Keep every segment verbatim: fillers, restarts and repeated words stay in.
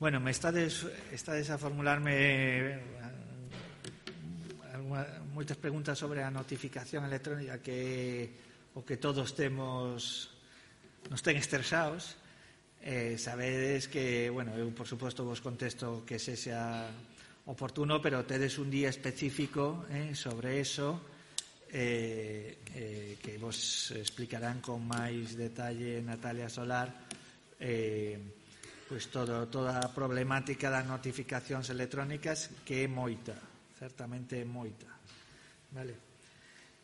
Bueno, me estades, estades a formularme moitas preguntas sobre a notificación electrónica que o que todos temos nos ten estresados. Eh, sabedes que, bueno, eu por suposto vos contesto que se sea oportuno, pero tedes un día específico eh, sobre eso eh, eh, que vos explicarán con máis detalle Natalia Solar eh, pois todo, toda a problemática das notificacións electrónicas, que é moita, certamente é moita. Vale.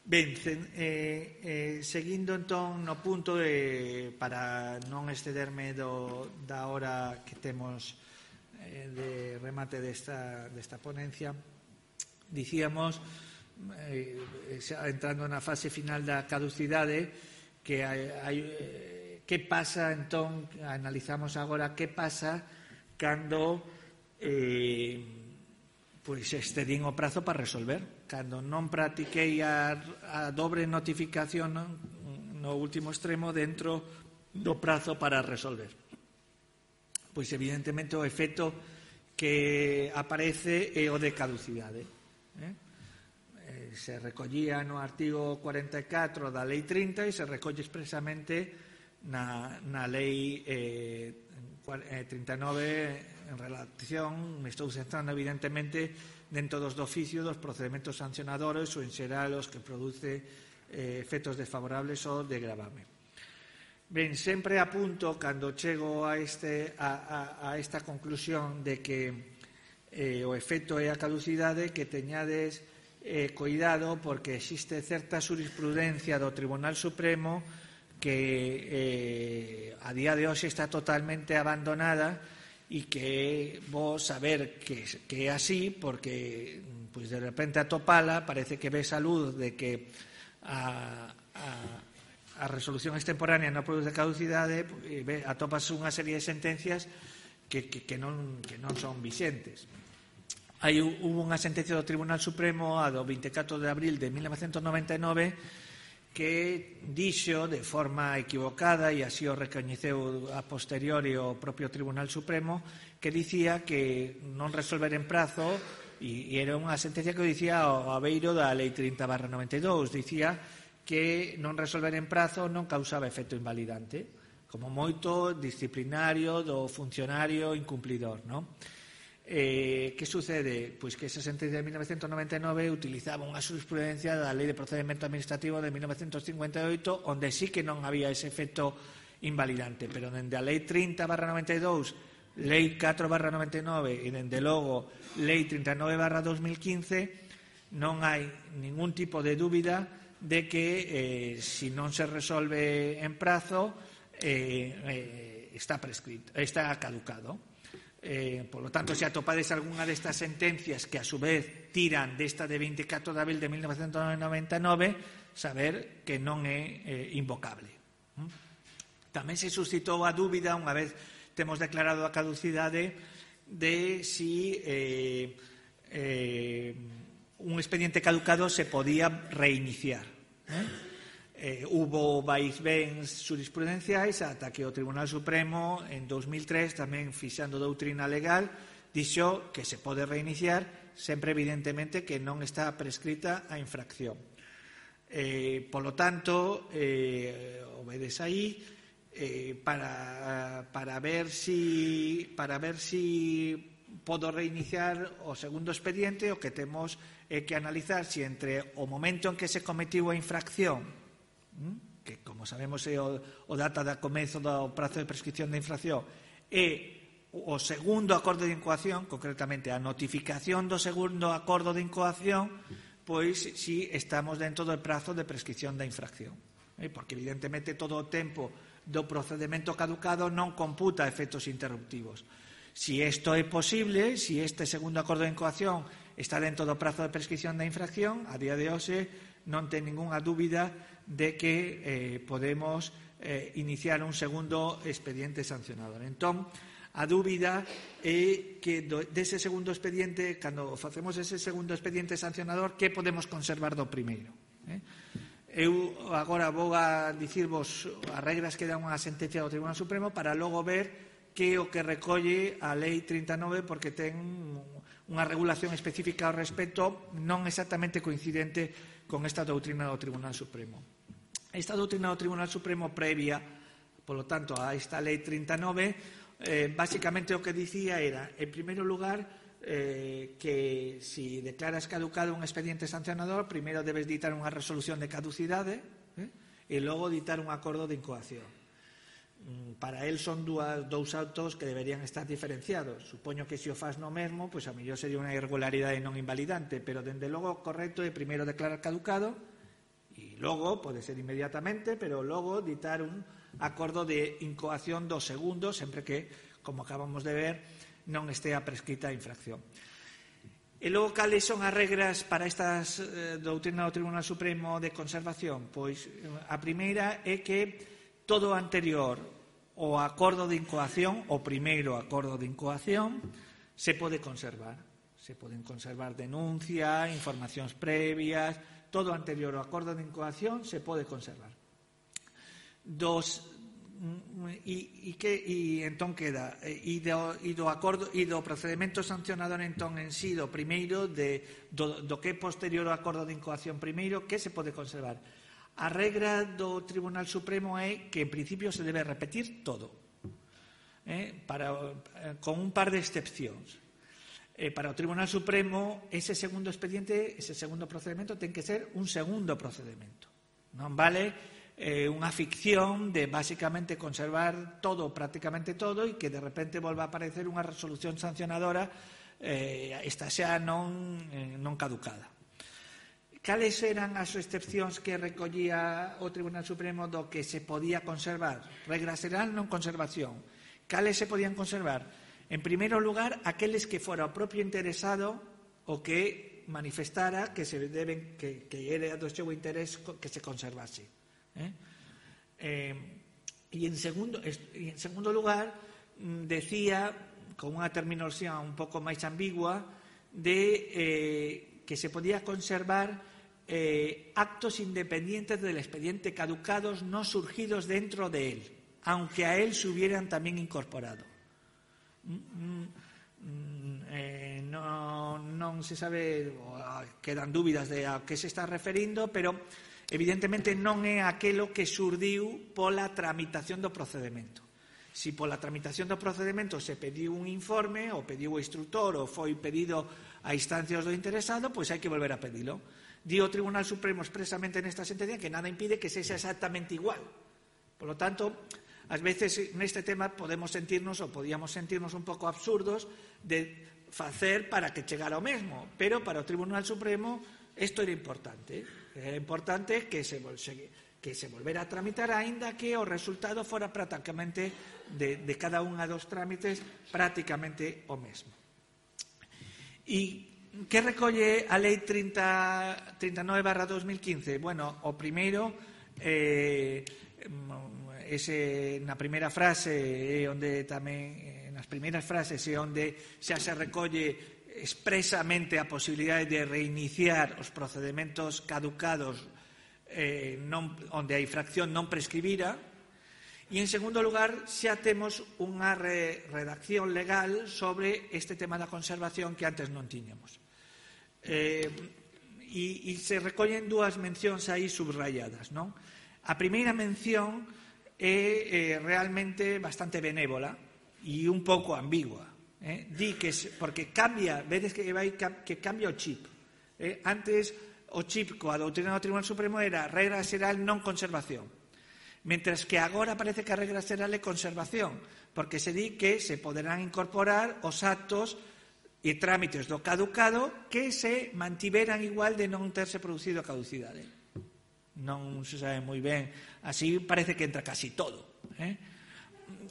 Ben, eh, eh, seguindo entón no punto de, para non excederme do, da hora que temos eh, de remate desta, desta ponencia, dicíamos, eh, xa entrando na fase final da caducidade, que hai, hai eh, que pasa entón, analizamos agora que pasa cando eh, pois excedín o prazo para resolver, cando non practiquei a, a dobre notificación no, no último extremo dentro do prazo para resolver. Pois evidentemente o efecto que aparece é o de caducidade. Eh? Eh, se recollía no artigo cuarenta e catro da lei trinta e se recolle expresamente na, na lei eh, trinta e nove en relación, me estou centrando evidentemente dentro dos do oficio dos procedementos sancionadores ou en xeral os que produce eh, efectos desfavorables ou de gravame. Ben, sempre apunto cando chego a, este, a, a, a esta conclusión de que eh, o efecto é a caducidade, que teñades eh, cuidado porque existe certa jurisprudencia do Tribunal Supremo que eh, a día de hoxe está totalmente abandonada e que vos saber que, que é así porque pues, de repente atopala parece que ves a luz de que a, a, a resolución extemporánea non produce caducidade e ve, atopas unha serie de sentencias que, que, que, non, que non son vixentes. Hai hubo unha sentencia do Tribunal Supremo a do vinte e catro de abril de mil novecentos noventa e nove que dixo de forma equivocada, e así o recoñeceu a posteriori o propio Tribunal Supremo, que dicía que non resolver en prazo, e, e era unha sentencia que dicía ao abeiro da lei trinta barra noventa e dous, dicía que non resolver en prazo non causaba efecto invalidante, como moito disciplinario do funcionario incumplidor, non? Eh, que sucede? Pois que esa sentencia de mil novecentos noventa e nove utilizaba unha jurisprudencia da Lei de Procedimento Administrativo de mil novecentos cincuenta e oito, onde sí que non había ese efecto invalidante, pero dende a Lei trinta barra noventa e dous, Lei catro barra noventa e nove e dende logo Lei trinta e nove barra dos mil quince non hai ningún tipo de dúbida de que eh, si non se resolve en prazo eh, eh, está prescrito, está caducado. Eh, por lo tanto, se atopades algunha destas sentencias que a su vez tiran desta de vinte e catro de abril de mil novecentos noventa e nove, saber que non é eh, invocable. ¿Mm? Tamén se suscitou a dúbida, unha vez temos declarado a caducidade, de si eh, eh, un expediente caducado se podía reiniciar. ¿eh? Eh, hubo vaivens jurisprudenciais ata que o Tribunal Supremo en dos mil tres, tamén fixando doutrina legal, dixo que se pode reiniciar sempre evidentemente que non está prescrita a infracción. Eh, polo tanto, eh, obedes aí eh, para, para ver si para ver si podo reiniciar o segundo expediente. O que temos é que analizar si entre o momento en que se cometiu a infracción, que como sabemos é o, o data da comezo do prazo de prescripción da infracción, e o segundo acordo de incoación, concretamente a notificación do segundo acordo de incoación, pois si estamos dentro do prazo de prescripción da infracción, eh? Porque evidentemente todo o tempo do procedimento caducado non computa efectos interruptivos. Si isto é posible, si este segundo acordo de incoación está dentro do prazo de prescripción da infracción, a día de hoxe non ten ningunha dúbida de que eh, podemos eh, iniciar un segundo expediente sancionador. Entón, a dúbida é que do, dese segundo expediente, cando facemos ese segundo expediente sancionador, que podemos conservar do primeiro? Eh? Eu agora vou a dicirvos as regras que dan unha sentencia do Tribunal Supremo para logo ver que o que recolle a Lei trinta e nove, porque ten unha regulación específica ao respecto non exactamente coincidente con esta doutrina do Tribunal Supremo. Esta doutrina do Tribunal Supremo previa, polo tanto, a esta Lei trinta e nove, eh, basicamente o que dicía era, en primeiro lugar, eh, que si declaras caducado un expediente sancionador, primeiro debes ditar unha resolución de caducidade eh, e logo ditar un acordo de incoación. Para él son dúas, dous autos que deberían estar diferenciados. Supoño que se o faz no mesmo, pois a mellor sería unha irregularidade non invalidante, pero dende logo correcto é primeiro declarar caducado e logo, pode ser inmediatamente, pero logo ditar un acordo de incoación do segundo, sempre que, como acabamos de ver, non estea prescrita a infracción. E logo, cales son as regras para estas eh, doutrina do Tribunal Supremo de conservación? Pois a primeira é que todo o anterior ao acordo de incoación, o primeiro acordo de incoación, se pode conservar. Se poden conservar denuncia, informacións previas, todo o anterior ao acordo de incoación se pode conservar. Dos e, e que e entón queda e do, e do acordo e do procedemento sancionador entón en si do primeiro de, do, do que é posterior ao acordo de incoación primeiro, que se pode conservar. A regra do Tribunal Supremo é que en principio se debe repetir todo eh, para, con un par de excepcións. Eh, para o Tribunal Supremo ese segundo expediente, ese segundo procedimento ten que ser un segundo procedimento, non vale Eh, unha ficción de basicamente conservar todo, prácticamente todo, e que de repente volva a aparecer unha resolución sancionadora eh, esta xa non, eh, non caducada. Cales eran as excepcións que recollía o Tribunal Supremo do que se podía conservar? Regra xeral, non conservación. Cales se podían conservar? En primeiro lugar, aqueles que fora o propio interesado o que manifestara que se deben que, que era do seu interés que se conservase. Eh? Eh, y, en segundo, y en segundo lugar decía con unha terminoloxía un pouco máis ambigua de eh, que se podía conservar eh, actos independientes del expediente caducados no surgidos dentro de él, aunque a él se hubieran también incorporado. Mm, mm, eh, no, non se sabe, quedan dúbidas de a que se está referindo, pero evidentemente non é aquelo que surdiu pola tramitación do procedimento. Si pola tramitación do procedimento se pediu un informe, ou pediu o instructor, ou foi pedido a instancias do interesado, pois hai que volver a pedilo. Di o Tribunal Supremo expresamente nesta sentencia que nada impide que sexa exactamente igual. Por lo tanto, ás veces neste tema podemos sentirnos, ou podíamos sentirnos un pouco absurdos de facer para que chegara o mesmo, pero para o Tribunal Supremo isto era importante. Era importante que se, que se volvera a tramitar, aínda que o resultado fora prácticamente de, de cada unha dos trámites prácticamente o mesmo. E que recolle a Lei trinta e nove barra dos mil quince? Bueno, o primeiro, eh, ese, na primeira frase, é onde tamén, nas primeiras frases é onde xa se recolle expresamente a posibilidade de reiniciar os procedementos caducados eh, non, onde a infracción non prescribira, e en segundo lugar xa temos unha re, redacción legal sobre este tema da conservación que antes non tiñamos. Eh, e, e se recollen dúas mencións aí subrayadas, non? A primeira mención é eh, realmente bastante benévola e un pouco ambigua. Eh, di que porque cambia, vedes que vai que cambia o chip. Eh, antes o chip coa doutrina do Tribunal Supremo era regra xeral non conservación. Mentras que agora parece que a regra xeral é conservación, porque se di que se poderán incorporar os actos e trámites do caducado que se mantiveran igual de non terse producido a caducidade. Non se sabe moi ben, así parece que entra casi todo. Eh?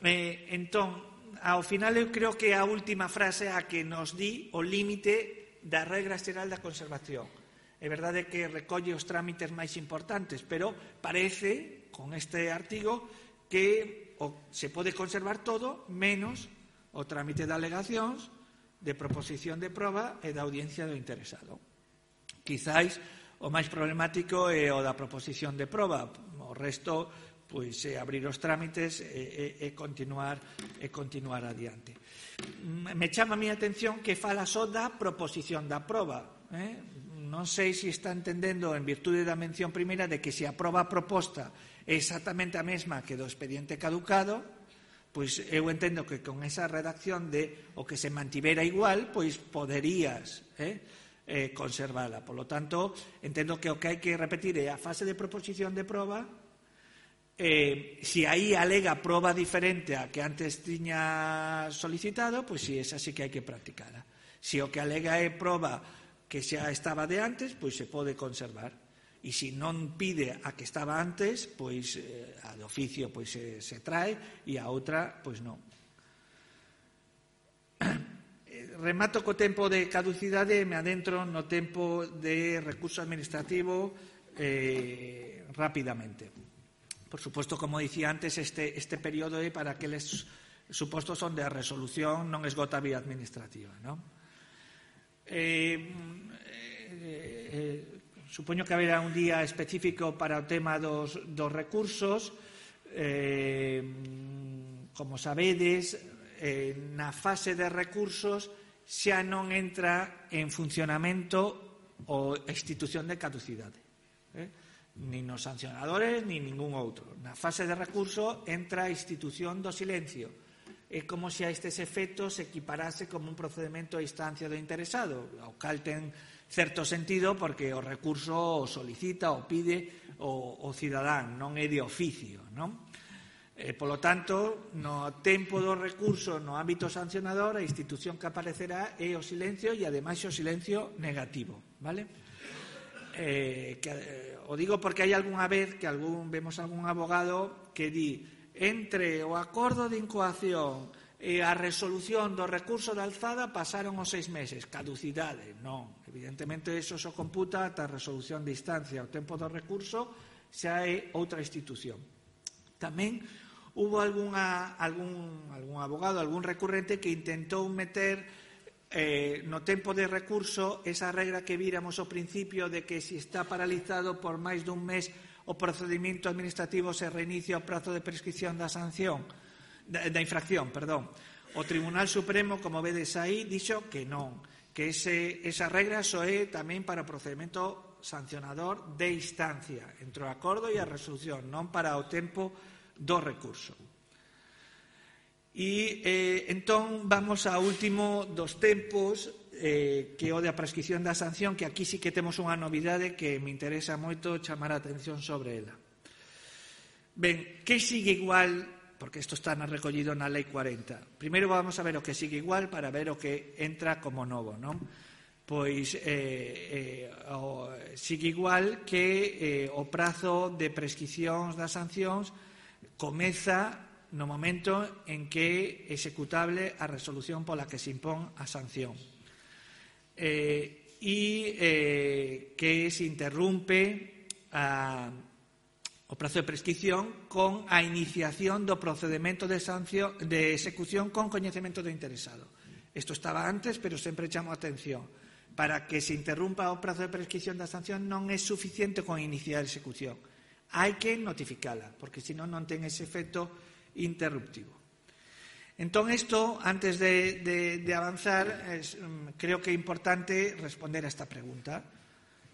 Eh, entón, ao final eu creo que a última frase a que nos di o límite da regra xeral da conservación. É verdade que recolle os trámites máis importantes, pero parece, con este artigo, que o, se pode conservar todo menos o trámite de alegacións, de proposición de proba e da audiencia do interesado. Quizáis o máis problemático é o da proposición de proba. O resto pois é abrir os trámites e, e, e continuar e continuar adiante. Me chama a mi atención que fala só da proposición da proba, eh? Non sei se está entendendo, en virtude da mención primeira, de que se a proba proposta é exactamente a mesma que do expediente caducado, pois eu entendo que con esa redacción de o que se mantivera igual, pois poderías eh, eh, conservala. Por lo tanto, entendo que o que hai que repetir é a fase de proposición de proba. Eh, se aí alega proba diferente a que antes tiña solicitado, pois si esa sí que hai que practicala. Se o que alega é proba que xa estaba de antes, pois se pode conservar. E se non pide a que estaba antes, pois eh, a de oficio pois se, se trae e a outra pois non. Remato co tempo de caducidade e me adentro no tempo de recurso administrativo eh, rapidamente. Por suposto, como dicía antes, este, este período é para aqueles supostos onde a resolución non esgota a vía administrativa, non? Eh, eh, eh, Supoño que haberá un día específico para o tema dos, dos recursos. Eh, como sabedes, eh, na fase de recursos xa non entra en funcionamento o institución de caducidade. Eh? Nin os sancionadores, nin ningún outro. Na fase de recurso entra a institución do silencio. É como se a estes efectos se equiparase como un procedimento a instancia do interesado, ao cal ten certo sentido porque o recurso o solicita ou pide o, o cidadán, non é de oficio, non? Eh, polo tanto, no tempo do recurso no ámbito sancionador, a institución que aparecerá é o silencio e ademais o silencio negativo, vale? Eh, que, eh, o digo porque hai algunha vez que algún, vemos algún abogado que di entre o acordo de incoación e a resolución do recurso de alzada pasaron os seis meses, caducidade. Non, evidentemente eso só computa ata a resolución de instancia. O tempo do recurso xa é outra institución. Tamén hubo algunha, algún, algún abogado, algún recurrente que intentou meter eh, no tempo de recurso esa regra que víramos ao principio de que se está paralizado por máis dun mes o procedimento administrativo se reinicia o prazo de prescripción da sanción da, da infracción, perdón. O Tribunal Supremo, como vedes aí, dixo que non, que ese, esa regra só é tamén para o procedimento sancionador de instancia, entre o acordo e a resolución, non para o tempo do recurso. E eh, entón vamos ao último dos tempos, eh, que é o da prescripción da sanción, que aquí sí que temos unha novidade que me interesa moito chamar a atención sobre ela. Ben, que sigue igual, porque isto está recollido na Lei cuarenta. Primeiro vamos a ver o que sigue igual para ver o que entra como novo, non? Pois eh, eh, o, sigue igual que eh, o prazo de prescripcións das sancións comeza no momento en que é executable a resolución pola que se impón a sanción. Eh, e eh, que se interrumpe a o prazo de prescripción con a iniciación do procedimento de, sanción, de execución con coñecemento do interesado. Isto estaba antes, pero sempre chamo a atención. Para que se interrumpa o prazo de prescripción da sanción non é suficiente con iniciar a execución. Hai que notificala, porque senón non ten ese efecto interruptivo. Entón, isto, antes de, de, de avanzar, es, creo que é importante responder a esta pregunta.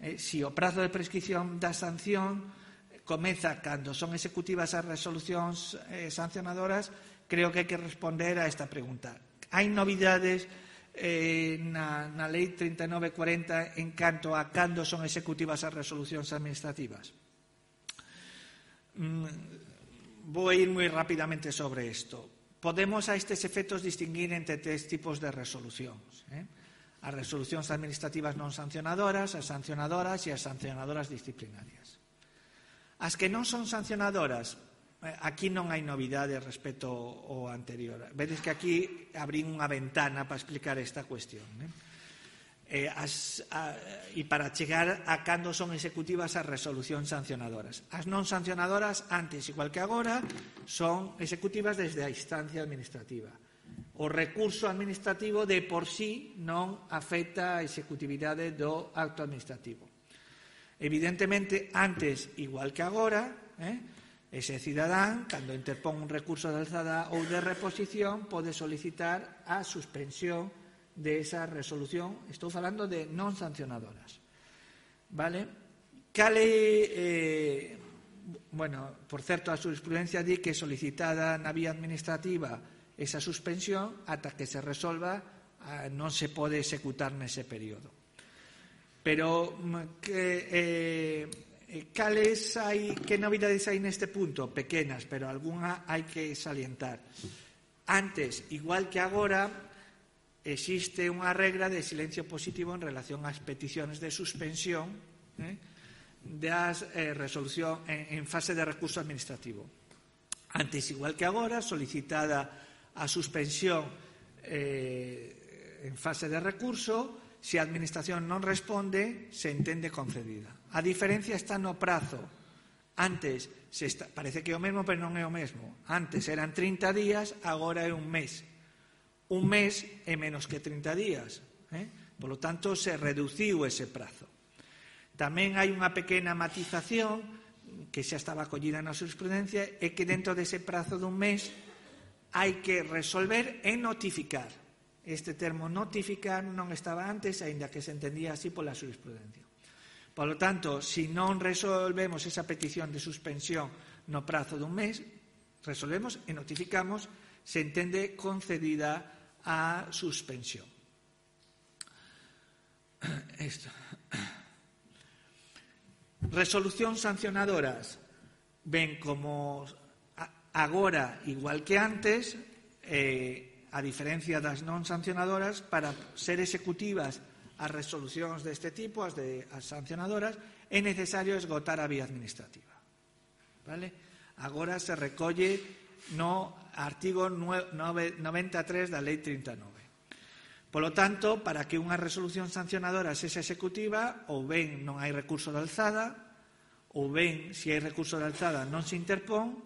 Eh, si o prazo de prescripción da sanción comeza cando son executivas as resolucións eh, sancionadoras, creo que hai que responder a esta pregunta. Hai novidades eh, na, na Lei trinta e nove cuarenta en canto a cando son executivas as resolucións administrativas? Mm, vou ir moi rapidamente sobre isto. Podemos a estes efectos distinguir entre tres tipos de resolucións. Eh? As resolucións administrativas non sancionadoras, as sancionadoras e as sancionadoras disciplinarias. As que non son sancionadoras, aquí non hai novidade respecto ao anterior. Vedes que aquí abrín unha ventana para explicar esta cuestión. Eh? Eh, as, a, e para chegar a cando son executivas as resolucións sancionadoras. As non sancionadoras, antes, igual que agora, son executivas desde a instancia administrativa. O recurso administrativo de por sí non afecta a executividade do acto administrativo. Evidentemente, antes, igual que agora, eh, Ese cidadán, cando interpón un recurso de alzada ou de reposición, pode solicitar a suspensión de esa resolución. Estou falando de non sancionadoras. Vale? Cale, eh, bueno, por certo, a jurisprudencia di que solicitada na vía administrativa esa suspensión ata que se resolva non se pode executar nese período. Pero que... Eh, Cales hai, que novidades hai neste punto? Pequenas, pero algunha hai que salientar. Antes, igual que agora, existe unha regra de silencio positivo en relación ás peticións de suspensión eh, das eh, resolución en, en fase de recurso administrativo. Antes, igual que agora, solicitada a suspensión eh, en fase de recurso, se a Administración non responde, se entende concedida. A diferencia está no prazo. Antes, se está, parece que é o mesmo, pero non é o mesmo. Antes eran trinta días, agora é un mes. Un mes é menos que trinta días. Eh? Por lo tanto, se reduciu ese prazo. Tamén hai unha pequena matización que xa estaba acollida na jurisprudencia, é que dentro dese prazo dun mes hai que resolver e notificar. Este termo notificar non estaba antes, aínda que se entendía así pola jurisprudencia. Por lo tanto, se non resolvemos esa petición de suspensión no prazo dun mes, resolvemos e notificamos, se entende concedida a suspensión. Esto. Resolucións sancionadoras. Ben, como agora, igual que antes, eh, a diferencia das non sancionadoras, para ser executivas as resolucións deste tipo, as, de, as sancionadoras, é necesario esgotar a vía administrativa. Vale? Agora se recolle no artigo noventa e tres da Lei trinta e nove. Polo tanto, para que unha resolución sancionadora sexa executiva, ou ben non hai recurso de alzada, ou ben, se hai recurso de alzada, non se interpón,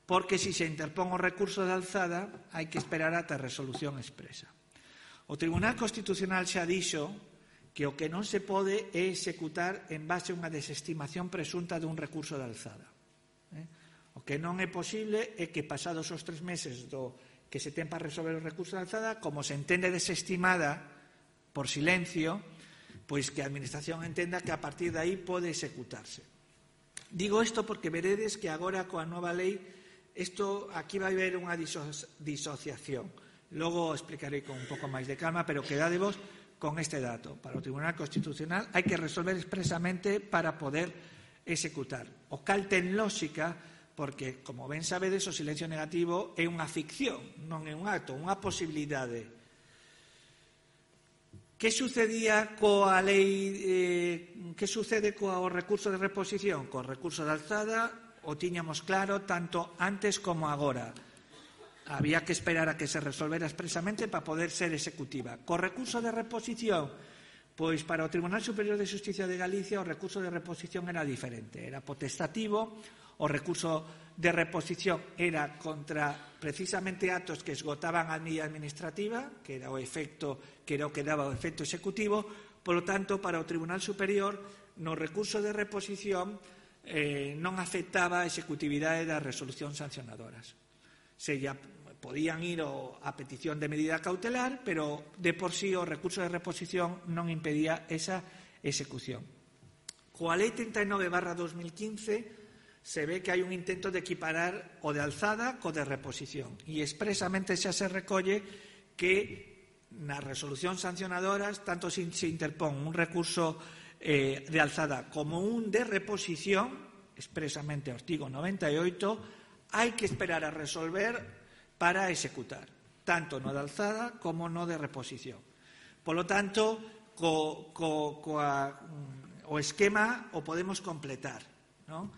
porque se se interpón o recurso de alzada hai que esperar ata a resolución expresa. O Tribunal Constitucional xa dixo que o que non se pode é executar en base a unha desestimación presunta dun recurso de alzada. O que non é posible é que pasados os tres meses do que se ten para resolver o recurso de alzada, como se entende desestimada por silencio, pois que a Administración entenda que a partir de aí pode executarse. Digo isto porque veredes que agora coa nova lei Esto, aquí vai haber unha disociación. Logo explicarei con un pouco máis de calma, pero quedadevos con este dato. Para o Tribunal Constitucional hai que resolver expresamente para poder executar. O cal ten lógica, porque, como ben sabedes, o silencio negativo é unha ficción, non é un acto, unha posibilidade. Que sucedía coa lei, eh, que sucede co recurso de reposición? Co recurso de alzada, o tiñamos claro tanto antes como agora. Había que esperar a que se resolvera expresamente para poder ser executiva. Co recurso de reposición, pois para o Tribunal Superior de Xustiza de Galicia o recurso de reposición era diferente, era potestativo, o recurso de reposición era contra precisamente actos que esgotaban a vía administrativa, que era o efecto, que era o que daba o efecto executivo. Polo tanto, para o Tribunal Superior, no recurso de reposición Eh, non afectaba a executividade das resolucións sancionadoras. Se ya podían ir o, a petición de medida cautelar, pero de por sí o recurso de reposición non impedía esa execución. Coa Lei trinta e nove barra dos mil quince se ve que hai un intento de equiparar o de alzada co de reposición e expresamente xa se recolle que nas resolucións sancionadoras tanto se interpón un recurso Eh, de alzada como un de reposición, expresamente artigo noventa e oito, hai que esperar a resolver para executar, tanto no de alzada como no de reposición. Polo tanto, co, co, coa, o esquema o podemos completar, ¿no?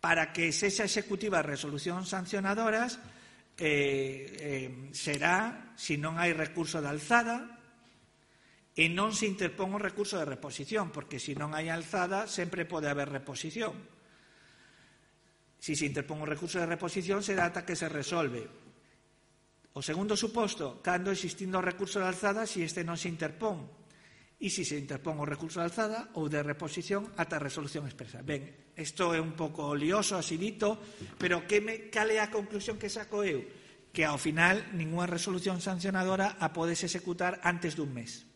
Para que sexa executiva as resolucións sancionadoras eh, eh, será, se non hai recurso de alzada, e non se interpón o recurso de reposición, porque se non hai alzada sempre pode haber reposición. Se se interpón o recurso de reposición será ata que se resolve. O segundo suposto, cando existindo o recurso de alzada, se este non se interpón. e se se interpón o recurso de alzada ou de reposición ata a resolución expresa. Ben, isto é un pouco lioso, así dito, pero que me, cal é a conclusión que saco eu? Que ao final ninguna resolución sancionadora a podes executar antes dun mes.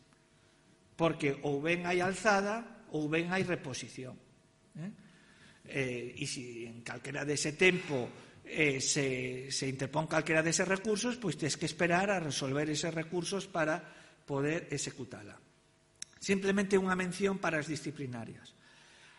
Porque ou ben hai alzada ou ben hai reposición. Eh? Eh, e se en calquera dese tempo eh, se, se interpón calquera deses recursos, pois tens que esperar a resolver eses recursos para poder executala. Simplemente unha mención para as disciplinarias.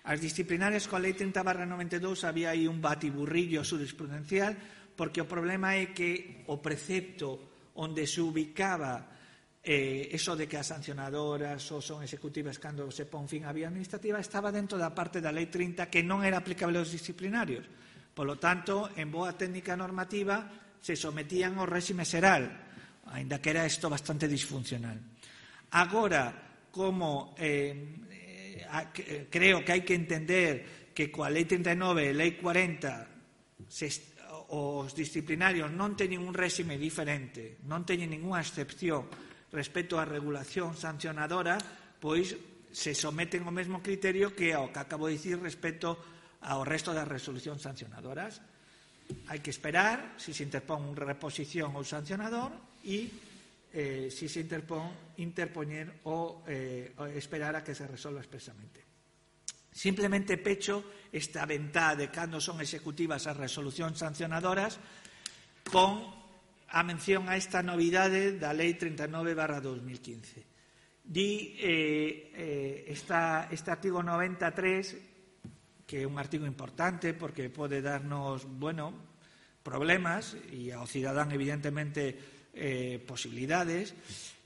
As disciplinarias coa Lei trinta barra noventa e dous había aí un batiburrillo jurisprudencial, porque o problema é que o precepto onde se ubicaba eh, eso de que as sancionadoras ou son executivas cando se pon fin á vía administrativa estaba dentro da parte da Lei trinta que non era aplicable aos disciplinarios. Por lo tanto, en boa técnica normativa se sometían ao réxime xeral, aínda que era isto bastante disfuncional. Agora, como eh, eh, creo que hai que entender que coa Lei trinta e nove e Lei cuarenta se, os disciplinarios non teñen un réxime diferente, non teñen ninguna excepción respecto á regulación sancionadora, pois se someten ao mesmo criterio que ao que acabo de dicir respecto ao resto das resolucións sancionadoras. Hai que esperar se se interpón unha reposición ou sancionador e Eh, si se interpón, interpoñer ou eh, esperar a que se resolva expresamente. Simplemente pecho esta ventá de cando son executivas as resolucións sancionadoras con a mención a esta novidade da Lei trinta e nove barra dos mil quince. Di eh, eh, esta, este artigo noventa e tres, que é un artigo importante porque pode darnos, bueno, problemas e ao cidadán evidentemente Eh, posibilidades,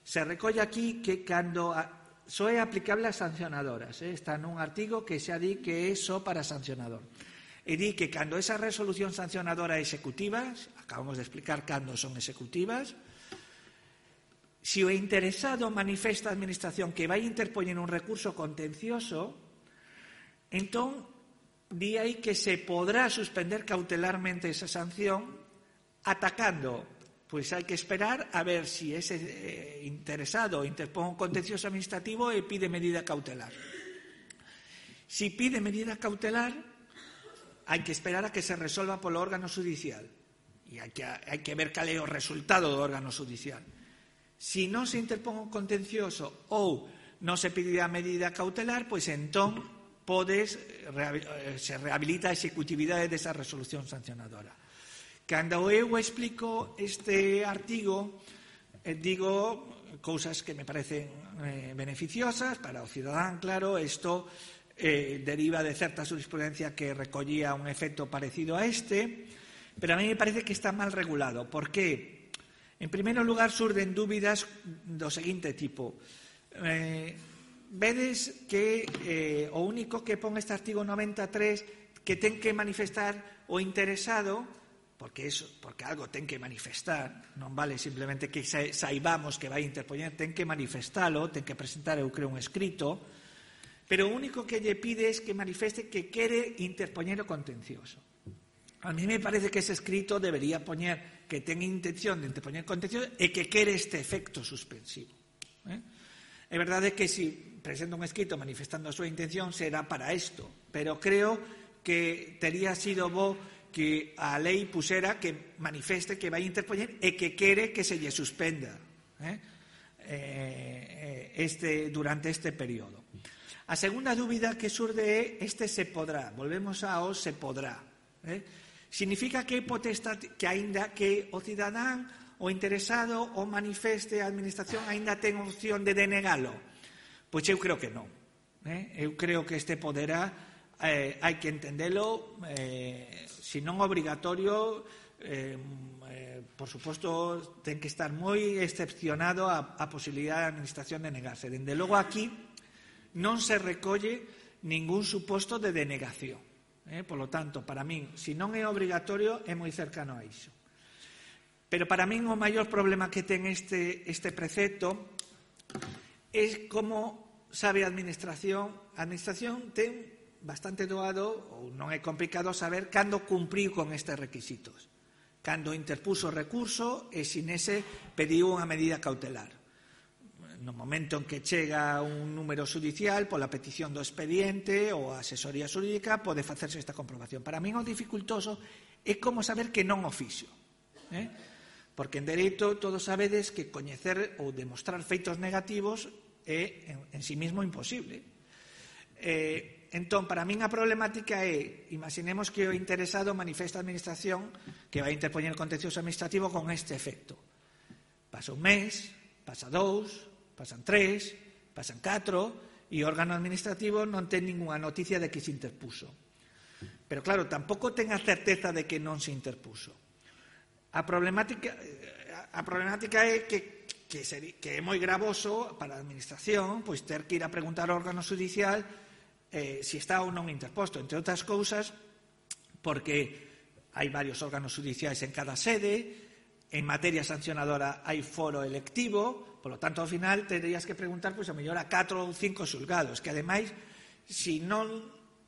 se recolle aquí que cando a, só é aplicable a sancionadoras, eh, está nun artigo que xa di que é só para sancionador, e di que cando esa resolución sancionadora executivas, acabamos de explicar cando son executivas, se o interesado manifesta a administración que vai interpoñer un recurso contencioso, entón di aí que se podrá suspender cautelarmente esa sanción atacando. Pois hai que esperar a ver se si ese eh, interesado interpón un contencioso administrativo e pide medida cautelar. Si pide medida cautelar, hai que esperar a que se resolva polo órgano judicial. E hai que, hai que ver cal é o resultado do órgano judicial. Si non se interpón un contencioso ou non se pide a medida cautelar, pois entón podes, se rehabilita a executividade desa resolución sancionadora. Cando eu explico este artigo, eh, digo cousas que me parecen eh, beneficiosas para o cidadán, claro, isto eh, deriva de certa jurisprudencia que recollía un efecto parecido a este, pero a mí me parece que está mal regulado. Por qué? En primeiro lugar, surden dúbidas do seguinte tipo. Eh, vedes que eh, o único que pon este artigo noventa e tres que ten que manifestar o interesado, porque eso, porque algo ten que manifestar, non vale simplemente que saibamos que vai interpoñer, ten que manifestalo, ten que presentar, eu creo, un escrito, pero o único que lle pide é que manifeste que quere interpoñer o contencioso. A mí me parece que ese escrito debería poñer que ten intención de interpoñer contencioso e que quere este efecto suspensivo. Eh? É verdade que se presenta un escrito manifestando a súa intención será para isto, pero creo que tería sido bo que a lei pusera que manifeste que vai interpoñer e que quere que se lle suspenda eh? Eh, este, durante este período. A segunda dúbida que surde é este se podrá. Volvemos ao se podrá. Eh? Significa que potestad, que aínda que o cidadán o interesado o manifeste a administración aínda ten opción de denegalo. Pois eu creo que non. Eh? Eu creo que este poderá eh, hai que entendelo eh, se non obrigatorio, eh, eh, por suposto, ten que estar moi excepcionado a, a posibilidade da administración de negarse. Dende logo aquí non se recolle ningún suposto de denegación. Eh? Por lo tanto, para min, se non é obrigatorio, é moi cercano a iso. Pero para min o maior problema que ten este, este precepto é como sabe a administración. A administración ten bastante doado, ou non é complicado saber cando cumpriu con estes requisitos, cando interpuso o recurso e sin ese pediu unha medida cautelar. no momento en que chega un número xudicial, pola petición do expediente ou a asesoría xurídica, pode facerse esta comprobación. Para min o dificultoso é como saber que non o fixo. Eh? Porque en dereito todos sabedes que coñecer ou demostrar feitos negativos é en, en sí mismo imposible. Eh, entón, para min a problemática é, imaginemos que o interesado manifesta a administración que vai interpoñer o contencioso administrativo con este efecto. Pasa un mes, pasa dous, pasan tres, pasan catro, e o órgano administrativo non ten ninguna noticia de que se interpuso. Pero claro, tampouco ten a certeza de que non se interpuso. A problemática, a problemática é que, que, seri, que é moi gravoso para a administración pois ter que ir a preguntar ao órgano judicial eh, se está ou non interposto, entre outras cousas, porque hai varios órganos judiciais en cada sede, en materia sancionadora hai foro electivo. Por lo tanto, ao final, terías que preguntar, pois, a mellor a catro ou cinco xulgados, que, ademais, se non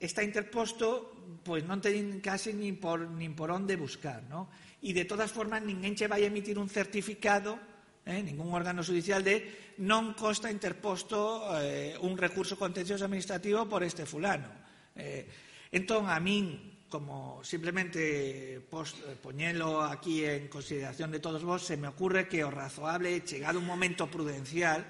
está interposto, pois non ten casi nin por, nin por onde buscar, ¿no? E, de todas formas, ninguén che vai emitir un certificado, eh, ningún órgano judicial, de non consta interposto eh, un recurso contencioso administrativo por este fulano. Eh, entón, a min, como simplemente post, poñelo aquí en consideración de todos vos, se me ocurre que o razoable, chegado un momento prudencial,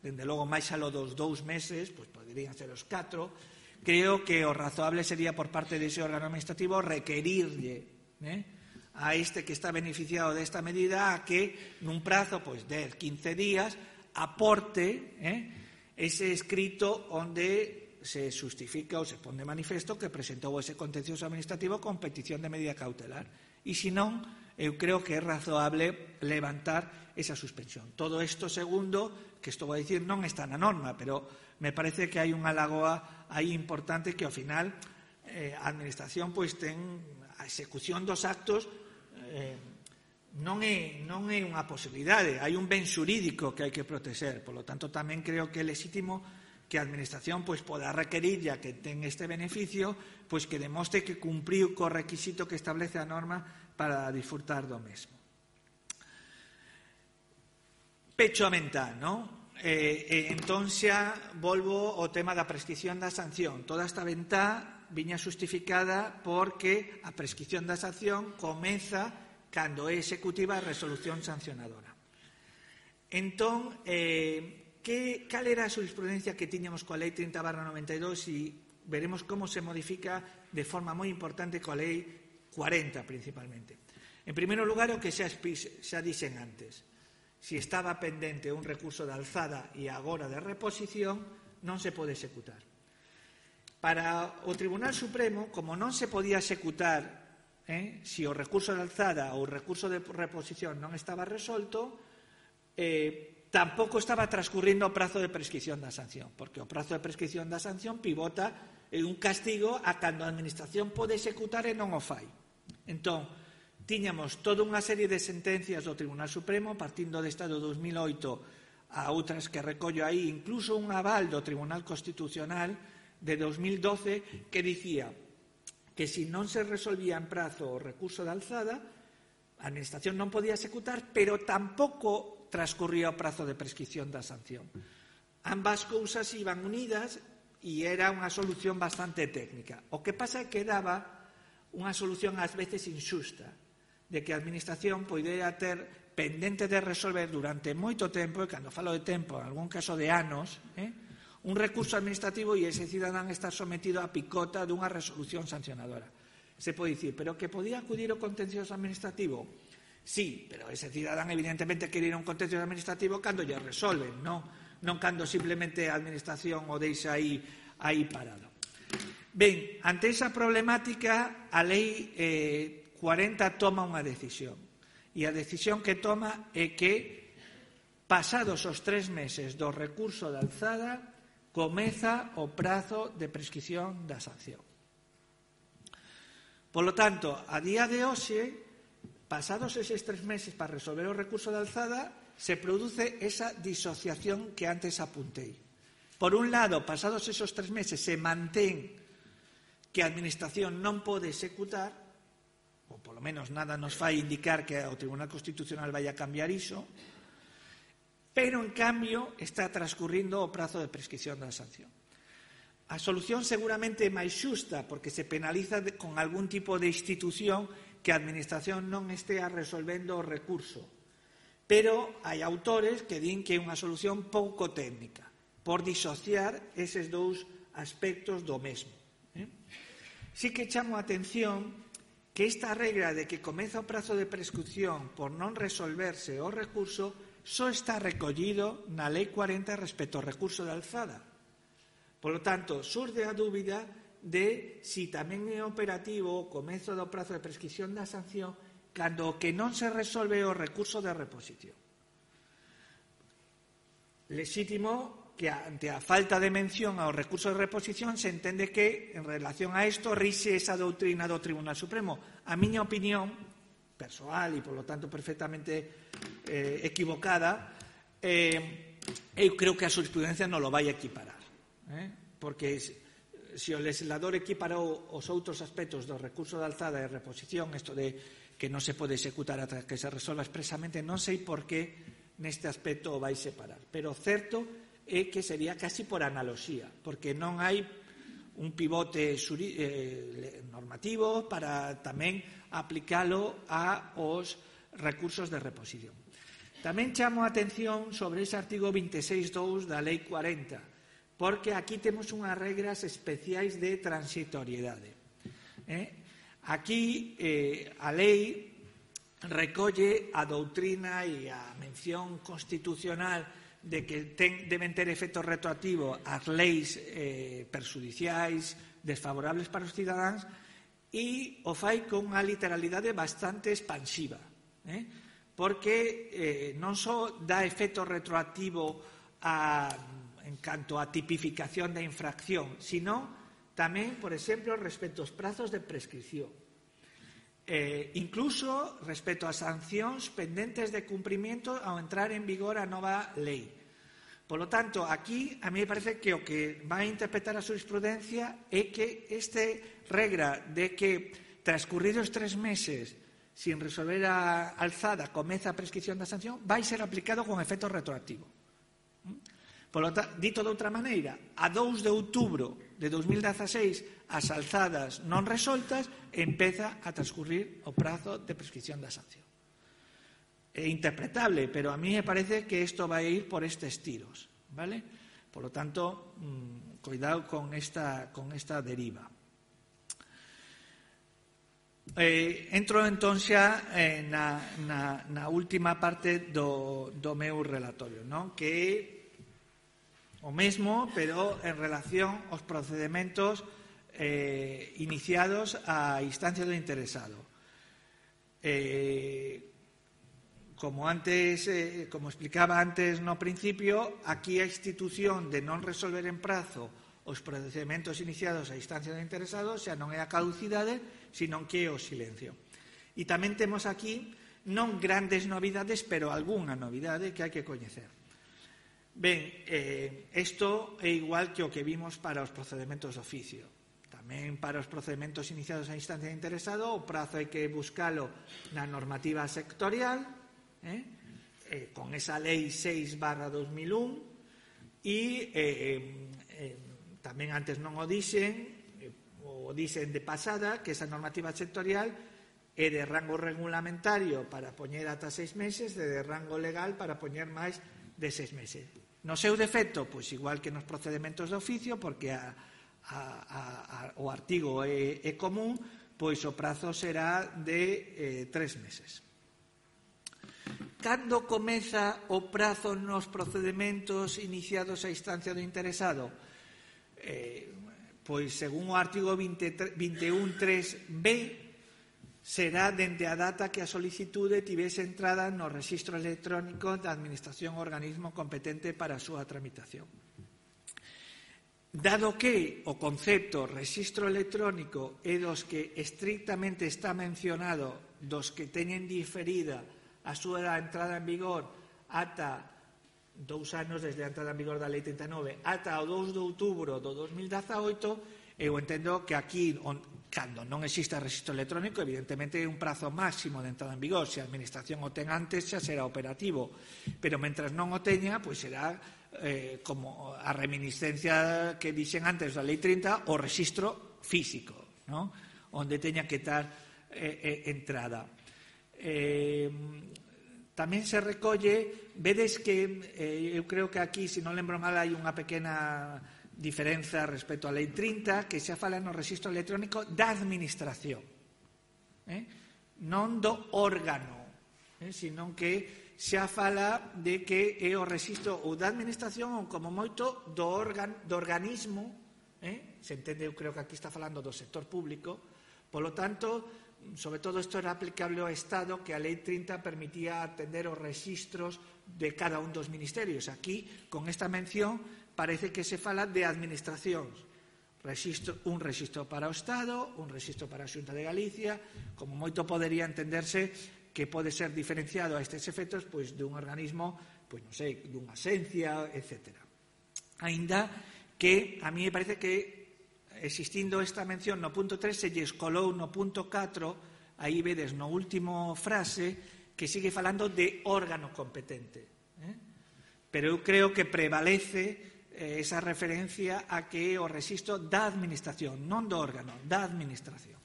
dende logo máis alo dos dous meses, pois poderían ser os catro, creo que o razoable sería por parte dese órgano administrativo requerirlle eh, a este que está beneficiado desta medida a que nun prazo pois dez, quince días aporte eh, ese escrito onde se justifica ou se pon de manifesto que presentou ese contencioso administrativo con petición de medida cautelar. E se non, eu creo que é razoable levantar esa suspensión. Todo isto, segundo, que estou a dicir, non está na norma, pero me parece que hai unha lagoa aí importante que, ao final, eh, a administración pois ten a execución dos actos eh, non é, non é unha posibilidade, hai un ben xurídico que hai que protexer. Por lo tanto, tamén creo que é legítimo que a administración pois poda requerir, ya que ten este beneficio, pois que demostre que cumpriu co requisito que establece a norma para disfrutar do mesmo. Pecho a mental, non? Eh, eh, entón xa volvo ao tema da prescripción da sanción. Toda esta ventá viña justificada porque a prescripción da sanción comeza cando é executiva a resolución sancionadora. Entón, eh, Que, cal era a jurisprudencia que tiñamos coa Lei trinta barra noventa e dous e veremos como se modifica de forma moi importante coa Lei cuarenta principalmente. En primeiro lugar, o que xa, xa dixen antes, se estaba pendente un recurso de alzada e agora de reposición, non se pode executar. Para o Tribunal Supremo, como non se podía executar eh, se o recurso de alzada ou o recurso de reposición non estaba resolto, eh, tampouco estaba transcurrindo o prazo de prescripción da sanción, porque o prazo de prescripción da sanción pivota en un castigo a cando a administración pode executar e non o fai. Entón, tiñamos toda unha serie de sentencias do Tribunal Supremo, partindo desta do dos mil oito a outras que recollo aí, incluso un aval do Tribunal Constitucional de dos mil doce que dicía que se non se resolvía en prazo o recurso de alzada, a administración non podía executar, pero tampouco transcurría o prazo de prescripción da sanción. Ambas cousas iban unidas e era unha solución bastante técnica. O que pasa é que daba unha solución ás veces injusta, de que a administración poidera ter pendente de resolver durante moito tempo, e cando falo de tempo, en algún caso de anos, eh, un recurso administrativo e ese cidadán está sometido a picota dunha resolución sancionadora. Se pode dicir, pero que podía acudir ao contencioso administrativo? Sí, pero ese cidadán evidentemente quere ir a un contencioso administrativo cando lle resolven, non, non cando simplemente a administración o deixa aí, aí parado. Ben, ante esa problemática, a Lei eh, cuarenta toma unha decisión. E a decisión que toma é que, pasados os tres meses do recurso de alzada, comeza o prazo de prescripción da sanción. Por lo tanto, a día de hoxe, pasados eses tres meses para resolver o recurso de alzada, se produce esa disociación que antes apuntei. Por un lado, pasados esos tres meses, se mantén que a administración non pode executar, ou polo menos nada nos fai indicar que o Tribunal Constitucional vai a cambiar iso, pero, en cambio, está transcurrindo o prazo de prescripción da sanción. A solución seguramente é máis xusta, porque se penaliza con algún tipo de institución que a Administración non estea resolvendo o recurso. Pero hai autores que din que é unha solución pouco técnica, por disociar eses dous aspectos do mesmo. Eh? Sí que chamo a atención que esta regra de que comeza o prazo de prescripción por non resolverse o recurso só está recollido na Lei cuarenta respecto ao recurso de alzada. Por lo tanto, surge a dúbida de si tamén é operativo o comezo do prazo de prescripción da sanción cando o que non se resolve o recurso de reposición. Lexítimo que ante a falta de mención ao recurso de reposición se entende que, en relación a isto, rixe esa doutrina do Tribunal Supremo. A miña opinión persoal e, polo tanto, perfectamente eh, equivocada, eh, eu creo que a xurisprudencia non lo vai equiparar. Eh? Porque se o legislador equiparou os outros aspectos do recurso de alzada e reposición, isto de que non se pode executar ata que se resolva expresamente, non sei por que neste aspecto o vai separar. Pero certo é que sería casi por analoxía, porque non hai un pivote eh, normativo para tamén aplicalo aos recursos de reposición. Tamén chamo a atención sobre ese artigo veintiséis punto dous da Lei cuarenta, porque aquí temos unhas regras especiais de transitoriedade. Eh? Aquí eh, a lei recolle a doutrina e a mención constitucional de que ten, deben ter efecto retroactivo as leis eh, perxudiciais desfavorables para os cidadáns e o fai con unha literalidade bastante expansiva, eh? porque eh, non só dá efecto retroactivo a, en canto a tipificación da infracción, sino tamén, por exemplo, respecto aos prazos de prescripción. Eh, incluso respecto a sancións pendentes de cumprimento ao entrar en vigor a nova lei. Por lo tanto, aquí a mí me parece que o que vai a interpretar a xurisprudencia é que esta regra de que transcurridos tres meses sin resolver a alzada comeza a prescripción da sanción vai ser aplicado con efecto retroactivo. Por lo tanto, dito de outra maneira, a dous de outubro de dos mil dezaseis as alzadas non resoltas empeza a transcurrir o prazo de prescripción da sanción. É interpretable, pero a mí me parece que isto vai ir por estes tiros, ¿vale? Por lo tanto, mmm, cuidado con esta, con esta deriva. Eh, entro entón xa eh, na, na, na última parte do, do meu relatorio, non? Que é o mesmo, pero en relación aos procedementos eh, iniciados á instancia do interesado. Eh, como antes, eh, como explicaba antes no principio, aquí a institución de non resolver en prazo os procedementos iniciados á instancia do interesado xa non é a caducidade, sino que é o silencio. E tamén temos aquí non grandes novidades, pero algunha novidade que hai que coñecer. Ben, eh, isto é igual que o que vimos para os procedementos de oficio. Tamén para os procedementos iniciados á instancia de interesado, o prazo hai que buscalo na normativa sectorial, eh, eh, con esa lei seis barra dos mil un, e eh, eh, tamén antes non o dixen, eh, o dixen de pasada, que esa normativa sectorial é de rango regulamentario para poñer ata seis meses, e de rango legal para poñer máis de seis meses. No seu defecto, pois igual que nos procedementos de oficio, porque a, a, a, a, o artigo é, é común, pois o prazo será de eh, tres meses. Cando comeza o prazo nos procedementos iniciados á instancia do interesado? Eh, pois, según o artigo veintiún punto tres b, será dende a data que a solicitude tivese entrada no rexistro electrónico da Administración ou organismo competente para a súa tramitación. Dado que o concepto rexistro electrónico é dos que estrictamente está mencionado dos que teñen diferida a súa entrada en vigor ata dous anos desde a entrada en vigor da Lei trinta e nove ata o dous de outubro do dos mil dezaoito, eu entendo que aquí cando non exista rexistro electrónico, evidentemente é un prazo máximo de entrada en vigor. Se a administración o ten antes, xa será operativo, pero mentras non o teña, pois será eh, como a reminiscencia que dixen antes da Lei trinta, o rexistro físico, ¿no? Onde teña que estar eh, eh, entrada. Eh, tamén se recolle, vedes que eh, eu creo que aquí, se non lembro mal, hai unha pequena diferenza respecto á Lei trinta, que xa fala no rexistro electrónico da administración, eh? non do órgano, eh? senón que xa fala de que é o rexistro ou da administración ou como moito do, organ, do organismo, eh? se entende, eu creo que aquí está falando do sector público, polo tanto, sobre todo isto era aplicable ao Estado, que a Lei trinta permitía atender os rexistros de cada un dos ministerios. Aquí, con esta mención, parece que se fala de administracións, rexistro, un rexistro para o Estado, un rexistro para a Xunta de Galicia, como moito podería entenderse que pode ser diferenciado a estes efectos pois de un organismo, pois non sei, dunha asencia, etcétera. Aínda que a mí me parece que existindo esta mención no punto tres se lle escolou no punto catro, aí vedes no último frase que sigue falando de órgano competente, eh? Pero eu creo que prevalece esa referencia a que o rexistro da administración, non do órgano, da administración.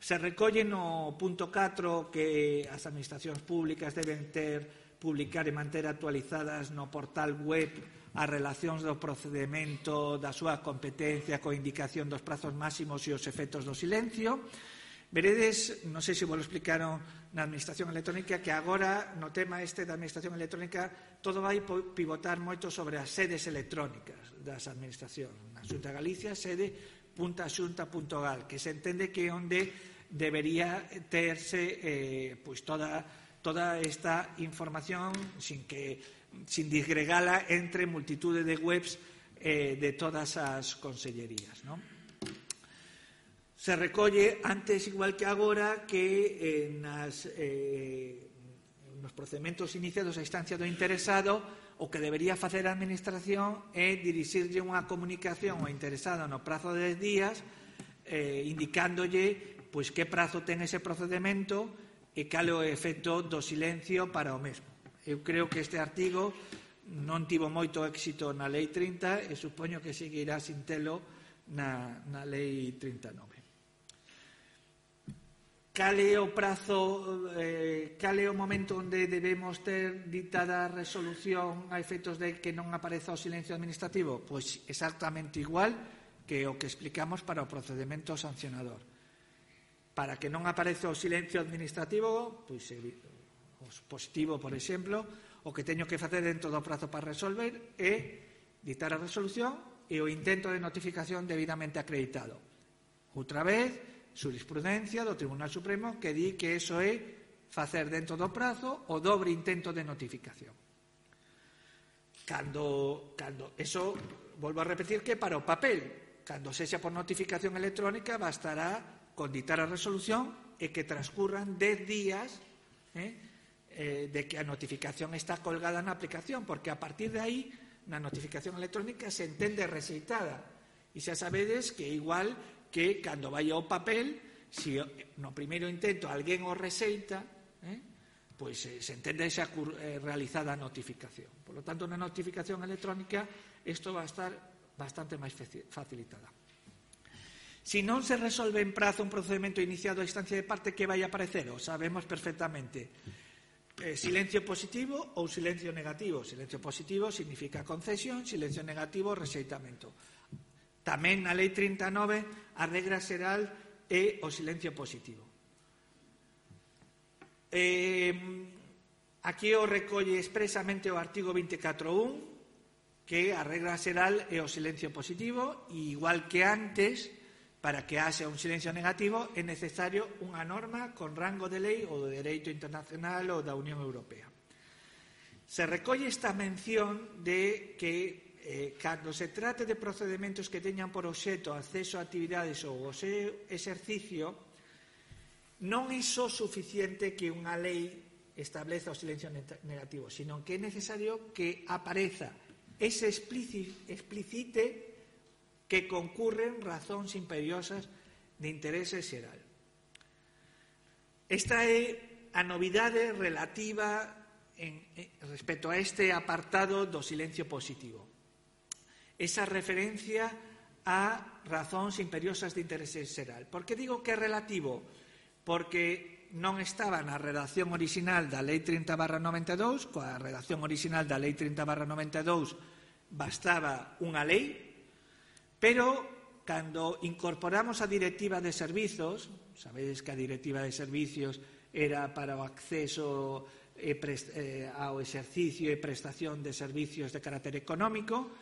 Se recolle no punto catro que as administracións públicas deben ter, publicar e manter actualizadas no portal web as relacións do procedemento da súa competencia coa indicación dos prazos máximos e os efectos do silencio. Veredes, non sei se vos lo explicaron na administración electrónica, que agora no tema este da administración electrónica todo vai pivotar moito sobre as sedes electrónicas das administracións. Na Xunta de Galicia, sede punta xunta punto gal, que se entende que é onde debería terse eh, pois toda, toda esta información sin que sin disgregala entre multitude de webs eh, de todas as consellerías, non? Se recolle antes, igual que agora, que eh, nas, eh, nos procedementos iniciados a instancia do interesado, o que debería facer a administración é dirixirlle unha comunicación ao interesado no prazo de dez días, eh, indicándolle pois, que prazo ten ese procedemento e cal é o efecto do silencio para o mesmo. Eu creo que este artigo non tivo moito éxito na Lei trinta e supoño que seguirá sin telo na, na Lei trinta e nove. Cal é o prazo, eh, cal é o momento onde debemos ter ditada a resolución a efectos de que non apareza o silencio administrativo? Pois exactamente igual que o que explicamos para o procedemento sancionador. Para que non apareza o silencio administrativo, pois o positivo, por exemplo, o que teño que facer dentro do prazo para resolver é ditar a resolución e o intento de notificación debidamente acreditado. Outra vez, jurisprudencia do Tribunal Supremo que di que eso é facer dentro do prazo o dobre intento de notificación. Cando, cando eso, volvo a repetir que para o papel, cando sexa por notificación electrónica, bastará con ditar a resolución e que transcurran dez días eh, eh, de que a notificación está colgada na aplicación, porque a partir de aí, na notificación electrónica se entende rexeitada. E xa sabedes que igual que cando vai ao papel, se no primeiro intento alguén o rexeita, eh, pois eh, se entende xa eh, realizada a notificación. Por lo tanto, na notificación electrónica, isto va a estar bastante máis facilitada. Se non se resolve en prazo un procedimento iniciado a instancia de parte, que vai a aparecer? O sabemos perfectamente. Eh, silencio positivo ou silencio negativo. Silencio positivo significa concesión, silencio negativo, rexeitamento. Tamén na Lei trinta e nove a regra xeral é o silencio positivo. Eh, aquí o recolle expresamente o artigo veinticuatro punto un, que a regra xeral é o silencio positivo, e igual que antes, para que haxa un silencio negativo é necesario unha norma con rango de lei ou de dereito internacional ou da Unión Europea. Se recolle esta mención de que Eh, cando se trate de procedementos que teñan por obxecto acceso a actividades ou o seu exercicio, non é só suficiente que unha lei estableza o silencio negativo, sino que é necesario que apareza ese explicite que concurren razóns imperiosas de interese xeral. Esta é a novidade relativa en, en, respecto a este apartado do silencio positivo. Esa referencia a razóns imperiosas de interese xeral. Por que digo que é relativo? Porque non estaba na redacción orixinal da Lei trinta barra noventa e dous, coa redacción orixinal da Lei trinta barra noventa e dous bastaba unha lei, pero cando incorporamos a Directiva de Servizos, sabedes que a Directiva de Servicios era para o acceso e prest, eh, ao exercicio e prestación de servicios de carácter económico,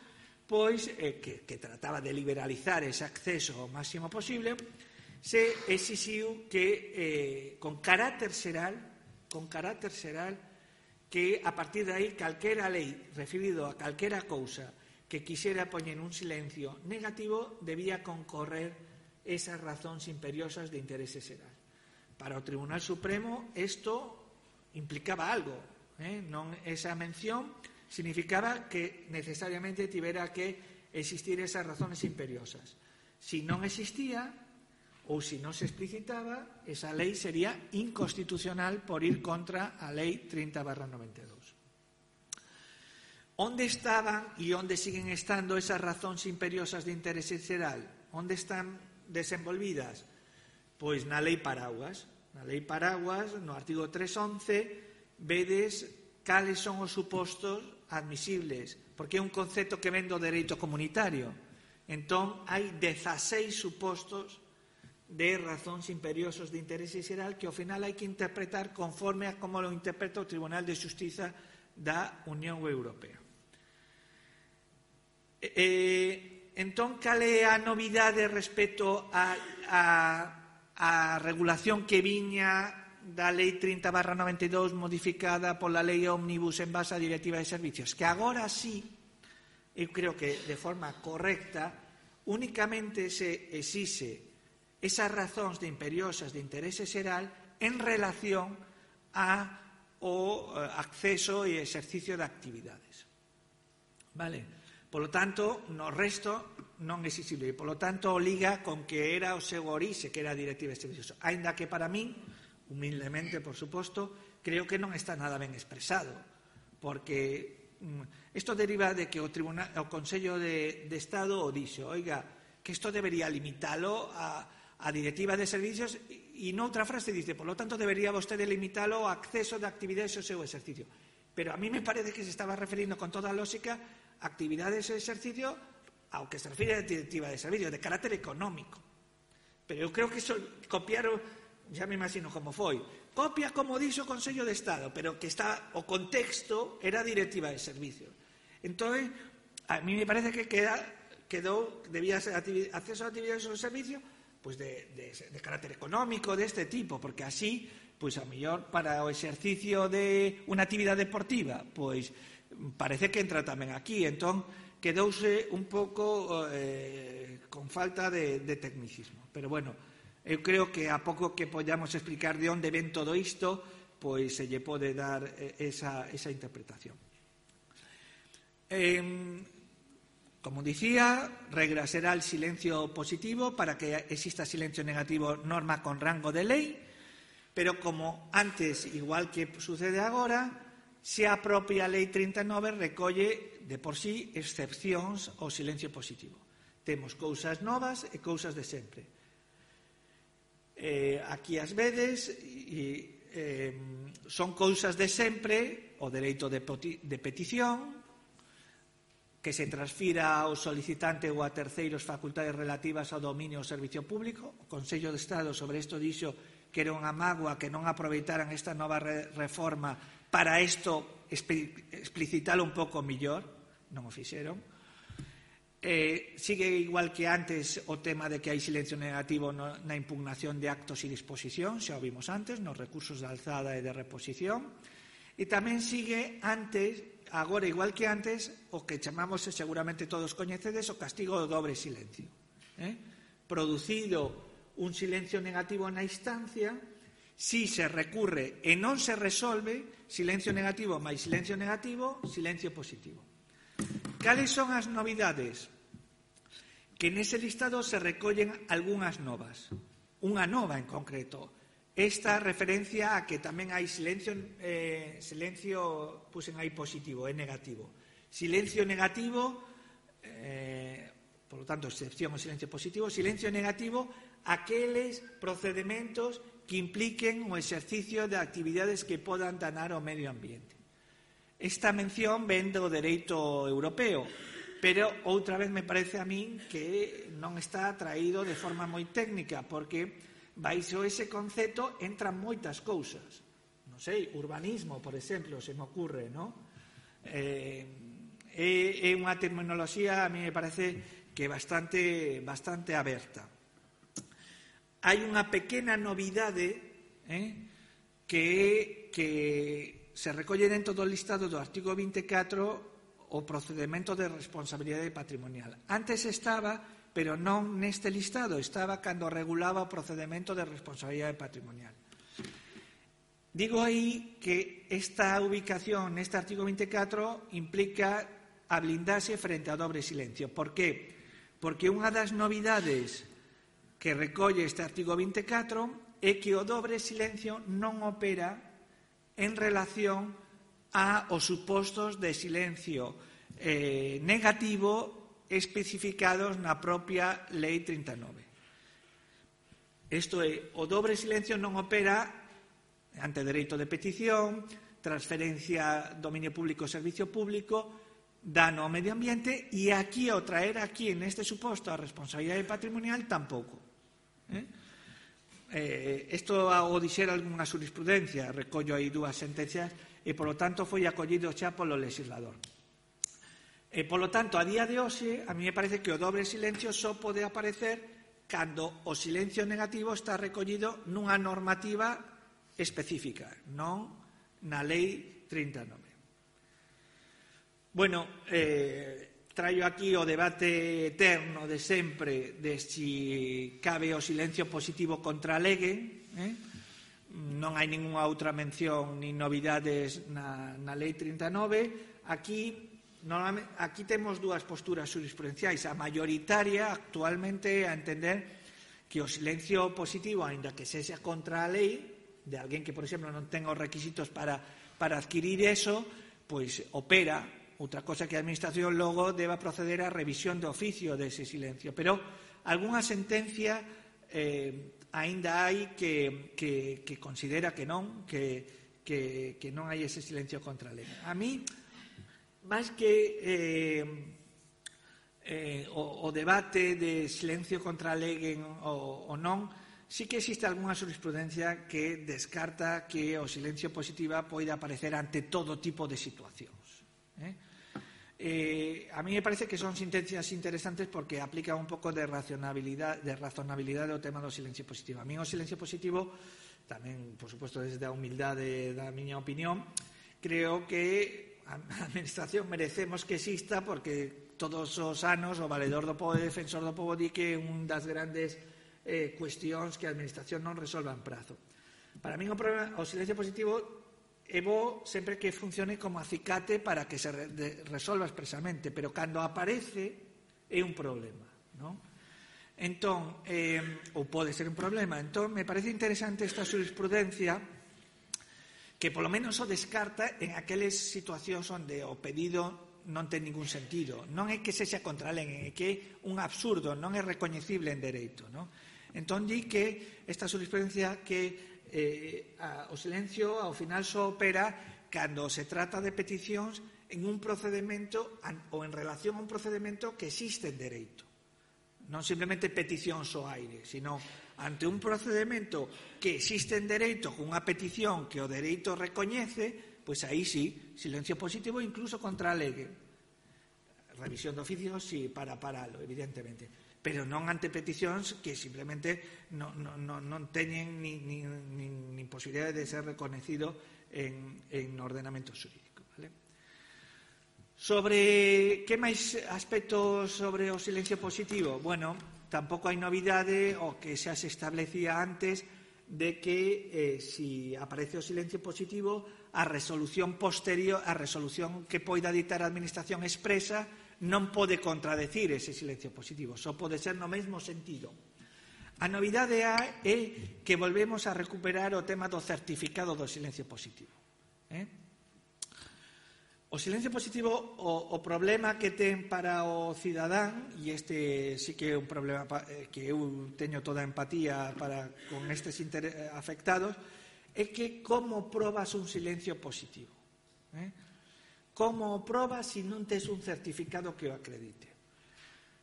pois eh, que, que trataba de liberalizar ese acceso o máximo posible, se exixiu que eh, con carácter xeral, con carácter xeral, que a partir de aí calquera lei referido a calquera cousa que quixera poñer un silencio negativo debía concorrer esas razóns imperiosas de interese xeral. Para o Tribunal Supremo isto implicaba algo, eh? non esa mención significaba que necesariamente tivera que existir esas razones imperiosas. Si non existía ou se non se explicitaba, esa lei sería inconstitucional por ir contra a Lei trinta barra noventa e dous. Onde estaban e onde siguen estando esas razóns imperiosas de interese xeral? Onde están desenvolvidas? Pois na Lei Paraguas. Na Lei Paraguas, no artigo trescientos once, vedes cales son os supostos admisibles, porque é un concepto que ven do dereito comunitario. Entón, hai dezaseis supostos de razóns imperiosos de interese xeral que ao final hai que interpretar conforme a como lo interpreta o Tribunal de Xustiza da Unión Europea. E, entón, cal é a novidade respecto a, a, a regulación que viña da Lei trinta barra noventa e dous modificada pola Lei Ómnibus en base á Directiva de Servicios? Que agora sí, eu creo que de forma correcta, únicamente se exixe esas razóns de imperiosas de interese xeral en relación ao acceso e exercicio de actividades. Vale? Polo tanto, no resto non é exigible. Polo tanto, liga con que era o seu orixe, que era a Directiva de Servicios. Ainda que para min, humildemente, por suposto, creo que non está nada ben expresado, porque isto deriva de que o, tribunal, o Consello de, de Estado o dixo, oiga, que isto debería limitalo a a Directiva de Servicios e noutra frase dice, por lo tanto, debería vostede limitalo ao acceso de actividades ao seu exercicio. Pero a mí me parece que se estaba referindo con toda a lógica a actividades e exercicio ao que se refire a Directiva de Servicios, de carácter económico. Pero eu creo que eso copiaron, xa me imagino como foi, copia como dixo o Consello de Estado, pero que está o contexto era a Directiva de Servicios. Entón, a mí me parece que queda, quedou, debía ser acceso a actividades ao servicio, pues de, de, de carácter económico, deste tipo, porque así, pues a mellor para o exercicio de unha actividade deportiva, pues parece que entra tamén aquí, entón quedouse un pouco eh, con falta de, de tecnicismo. Pero bueno, eu creo que a pouco que podamos explicar de onde ven todo isto, pois se lle pode dar esa, esa interpretación. Eh, Como dicía, regra será el silencio positivo. Para que exista silencio negativo, norma con rango de ley, pero como antes, igual que sucede agora, se a propia Lei trinta e nove recolle de por sí excepcións ao silencio positivo. Temos cousas novas e cousas de sempre. Eh, aquí as vedes, e, eh, son cousas de sempre, o dereito de, de petición, que se transfira ao solicitante ou a terceiros facultades relativas ao dominio ou servicio público. O Consello de Estado sobre isto dixo que era unha mágoa que non aproveitaran esta nova reforma para isto explicitalo un pouco millor, non o fixeron. Eh, sigue igual que antes o tema de que hai silencio negativo no, na impugnación de actos e disposición, xa o vimos antes, nos recursos de alzada e de reposición. E tamén sigue antes, agora igual que antes, o que chamamos, seguramente todos coñecedes, o castigo do dobre silencio. Eh? Producido un silencio negativo na instancia, si se recurre e non se resolve, silencio negativo máis silencio negativo, silencio positivo. Cales son as novidades? que nese listado se recollen algunhas novas. Unha nova en concreto. Esta referencia a que tamén hai silencio, eh, silencio pusen aí positivo, é negativo. Silencio negativo, eh, por lo tanto, excepción ao silencio positivo, silencio negativo, aqueles procedementos que impliquen o exercicio de actividades que podan danar ao medio ambiente. Esta mención ven do dereito europeo, pero outra vez me parece a min que non está traído de forma moi técnica, porque baixo ese concepto entran moitas cousas. Non sei, urbanismo, por exemplo, se me ocurre, non? Eh, é, é unha terminoloxía, a mí me parece que é bastante, bastante aberta. Hai unha pequena novidade eh, que, que se recolle dentro do listado do artigo vinte e catro o procedemento de responsabilidade patrimonial. Antes estaba, pero non neste listado, estaba cando regulaba o procedemento de responsabilidade patrimonial. Digo aí que esta ubicación neste artigo vinte e catro implica a blindarse frente ao dobre silencio. Por que? Porque unha das novidades que recolle este artigo vinte e catro é que o dobre silencio non opera en relación aos supostos de silencio eh, negativo especificados na propia Lei trinta e nove. Isto é, o dobre silencio non opera ante dereito de petición, transferencia, dominio público, servicio público, dano ao medio ambiente, e aquí, ao traer aquí, neste suposto, a responsabilidade patrimonial, tampouco. Eh? Eh, isto o dixera algunha jurisprudencia, recollo aí dúas sentencias, e, polo tanto, foi acollido xa polo legislador. E, polo tanto, a día de hoxe, a mí me parece que o dobre silencio só pode aparecer cando o silencio negativo está recollido nunha normativa específica, non na Lei trinta e nove. Bueno, eh, traio aquí o debate eterno de sempre de si cabe o silencio positivo contra a lege, eh? Non hai ningunha outra mención ni novidades na, na Lei trinta e nove. Aquí, aquí temos dúas posturas jurisprudenciais. A maioritaria actualmente a entender que o silencio positivo, aínda que sexa contra a lei, de alguén que, por exemplo, non ten os requisitos para, para adquirir eso, pois opera. Outra cosa que a Administración logo deba proceder á revisión de oficio dese silencio. Pero algunha sentencia eh, aínda hai que, que, que considera que non, que, que, que non hai ese silencio contra a lei. A mí, máis que eh, eh, o, o debate de silencio contra a lei ou, ou non, sí que existe algunha jurisprudencia que descarta que o silencio positiva poida aparecer ante todo tipo de situacións. Eh? Eh, a mí me parece que son sentencias interesantes porque aplican un pouco de razonabilidade, de razonabilidade ao tema do silencio positivo. A mí o silencio positivo, tamén, por suposto, desde a humildade da miña opinión, creo que a Administración merecemos que exista porque todos os anos o Valedor do Pobo e Defensor do Pobo di que é un das grandes eh, cuestións que a Administración non resolva en prazo. Para mí o, problema, o silencio positivo é bo sempre que funcione como acicate para que se re, de, resolva expresamente, pero cando aparece é un problema, non? Entón, eh, ou pode ser un problema. Entón, me parece interesante esta jurisprudencia que polo menos o descarta en aqueles situacións onde o pedido non ten ningún sentido. Non é que sexa contra a lei, é que é un absurdo, non é recoñecible en dereito, non? Entón, di que esta jurisprudencia que Eh, a, o silencio ao final só opera cando se trata de peticións en un procedimento an, ou en relación a un procedimento que existe en dereito. Non simplemente peticións ao aire, sino ante un procedimento que existe en dereito con unha petición que o dereito recoñece, pois aí sí, silencio positivo incluso contra a lege. Revisión de oficio, sí, para paralo, evidentemente. Pero non ante peticións que simplemente non, non, non, non teñen ni, ni, ni, ni posibilidade de ser reconhecido en, en ordenamento xurídico. Vale? Sobre que máis aspectos sobre o silencio positivo? Bueno, tampouco hai novidade o que xa se establecía antes de que eh, si aparece o silencio positivo, a resolución posterior, a resolución que poida ditar a Administración expresa non pode contradecir ese silencio positivo, só pode ser no mesmo sentido. A novidade é que volvemos a recuperar o tema do certificado do silencio positivo. Eh? O silencio positivo, o, o problema que ten para o cidadán, e este sí que é un problema que eu teño toda a empatía para con estes afectados, é que como probas un silencio positivo? Eh? Como o probas se non tes un certificado que o acredite?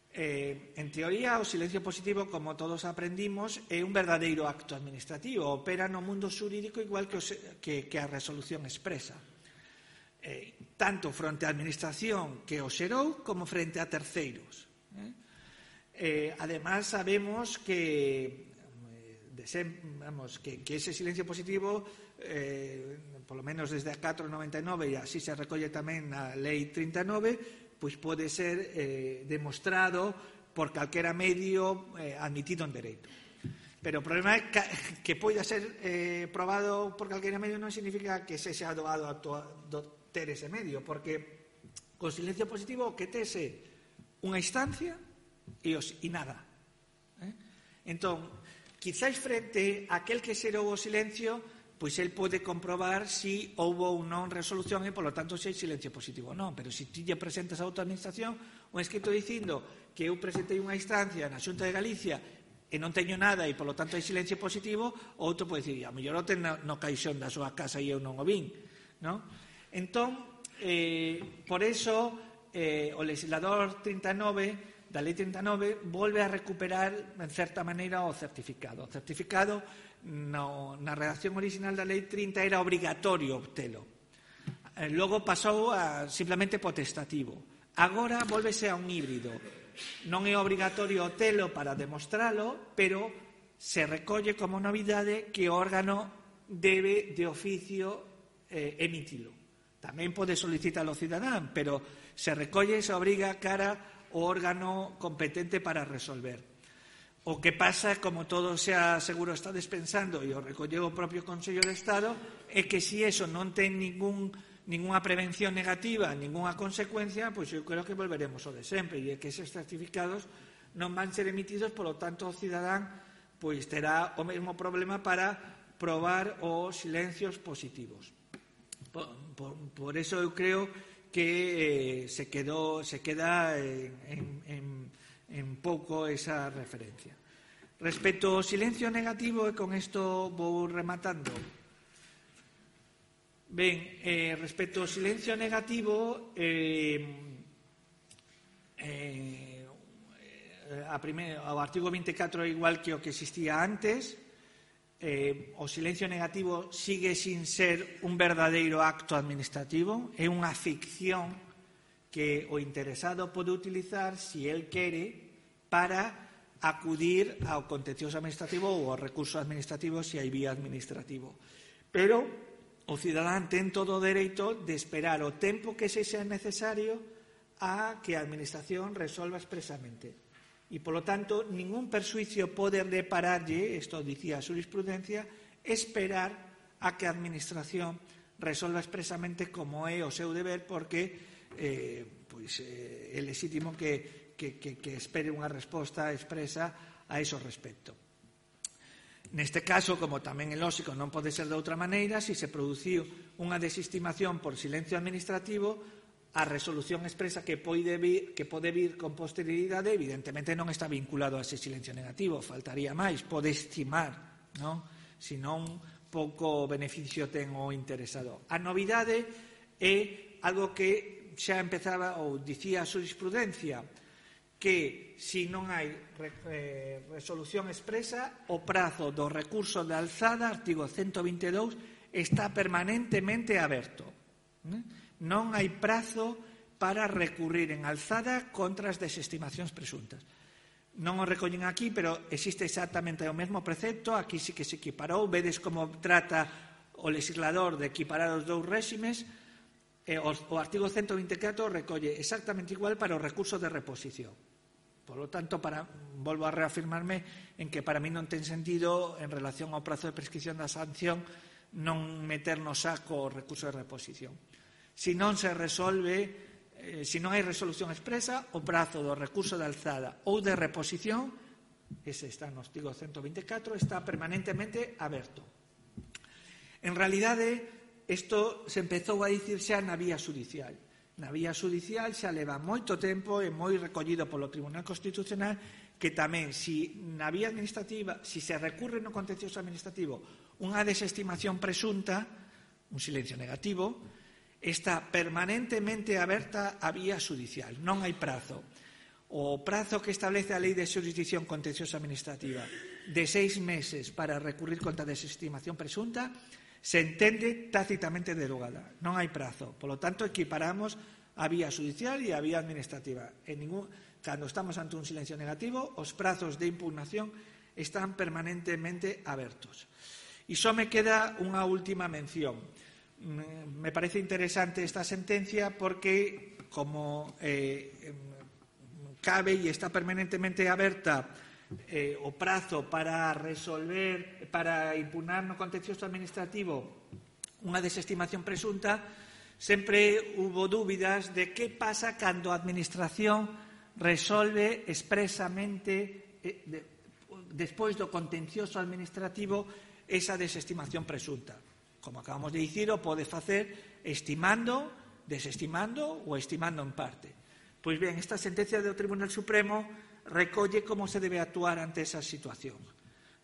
Eh, en teoría, o silencio positivo, como todos aprendimos, é un verdadeiro acto administrativo, opera no mundo xurídico igual que, o, que, que a resolución expresa. Eh, tanto fronte á administración que o xerou como frente a terceiros. Eh? Eh, además, sabemos que, desem, vamos, que, que ese silencio positivo, eh, polo menos desde a catro noventa e nove, e así se recolle tamén na Lei trinta e nove, pois pode ser eh, demostrado por calquera medio eh, admitido en dereito. Pero o problema é que, que poida ser eh, probado por calquera medio non significa que se xa doado a do, ter ese medio, porque con silencio positivo o que tese unha instancia e, os, e nada. Eh? Entón, quizáis frente a aquel que xerou o silencio, pois el pode comprobar si houve ou non resolución e, polo tanto, se hai silencio positivo ou non. Pero se ti lle presentas a outra administración un escrito dicindo que eu presentei unha instancia na Xunta de Galicia e non teño nada e, polo tanto, hai silencio positivo, o outro pode dicir, a mellor o ten no, no caixón da súa casa e eu non o vin, non? Entón, eh, por eso, eh, o legislador trinta e nove, da Lei trinta e nove, volve a recuperar, en certa maneira, o certificado. O certificado, no, na redacción original da Lei trinta, era obrigatorio obtelo. Eh, logo pasou a simplemente potestativo. Agora, volvese a un híbrido. Non é obrigatorio obtelo para demostralo, pero se recolle como novidade que o órgano debe, de oficio, eh, emitilo. Tamén pode solicitar ao cidadán, pero se recolle e se obriga cara ao órgano competente para resolver. O que pasa, como todos xa seguro estades pensando, e o recolleu o propio Consello de Estado, é que se iso non ten ningún, ninguna prevención negativa, ninguna consecuencia, pois eu creo que volveremos ao de sempre, e é que eses certificados non van ser emitidos, polo tanto o cidadán pois terá o mesmo problema para probar os silencios positivos. Por, por, por eso eu creo que eh, se, quedó, se queda en, en, en pouco esa referencia. Respecto ao silencio negativo, e con isto vou rematando. Ben, eh, respecto ao silencio negativo, eh, eh, a primer, o artigo vinte e catro é igual que o que existía antes. Eh, o silencio negativo sigue sin ser un verdadeiro acto administrativo, é unha ficción que o interesado pode utilizar, se el quere, para acudir ao contencioso administrativo ou ao recurso administrativo se hai vía administrativo. Pero o cidadán ten todo o dereito de esperar o tempo que se sea necesario a que a administración resolva expresamente. E, polo tanto, ningún persuicio pode depararlle, isto dicía a jurisprudencia, esperar a que a administración resolva expresamente como é o seu deber, porque eh, pois, eh, é legítimo que, que, que, que espere unha resposta expresa a ese respecto. Neste caso, como tamén é lógico, non pode ser de outra maneira, se se produciu unha desestimación por silencio administrativo, a resolución expresa que pode vir, que pode vir con posterioridade, evidentemente non está vinculado a ese silencio negativo, faltaría máis, pode estimar, non? Se non, pouco beneficio ten o interesado. A novidade é algo que xa empezaba ou dicía a jurisprudencia, que se non hai eh, resolución expresa, o prazo do recurso de alzada, artigo ciento vinte e dous, está permanentemente aberto. ¿eh? Non hai prazo para recurrir en alzada contra as desestimacións presuntas. Non o recollen aquí, pero existe exactamente o mesmo precepto, aquí sí que se equiparou, vedes como trata o legislador de equiparar os dous réximes, e o, o artigo ciento vinte e catro recolle exactamente igual para o recurso de reposición. Por lo tanto, para, volvo a reafirmarme en que para mí non ten sentido, en relación ao prazo de prescripción da sanción, non meter no saco o recurso de reposición. Se non se resolve eh, se non hai resolución expresa, o prazo do recurso de alzada ou de reposición, ese está no artigo ciento vinte e catro, está permanentemente aberto. En realidade, isto se empezou a dicir xa na vía judicial. Na vía judicial xa leva moito tempo e moi recollido polo Tribunal Constitucional que tamén, si na vía administrativa, si se recurre no contencioso administrativo unha desestimación presunta, un silencio negativo, está permanentemente aberta a vía judicial, non hai prazo. O prazo que establece a Lei de Xurisdicción Contenciosa Administrativa de seis meses para recurrir contra a desestimación presunta se entende tácitamente derogada. Non hai prazo. Por lo tanto, equiparamos a vía judicial e a vía administrativa. En ningún, cando estamos ante un silencio negativo, os prazos de impugnación están permanentemente abertos. E só me queda unha última mención. Me parece interesante esta sentencia porque, como eh, cabe e está permanentemente aberta eh, o prazo para resolver, para impugnar no contencioso administrativo unha desestimación presunta, sempre hubo dúbidas de que pasa cando a administración resolve expresamente eh, de, despois do contencioso administrativo esa desestimación presunta. Como acabamos de dicir, o pode facer estimando, desestimando ou estimando en parte. Pois ben, esta sentencia do Tribunal Supremo recolle como se debe actuar ante esa situación.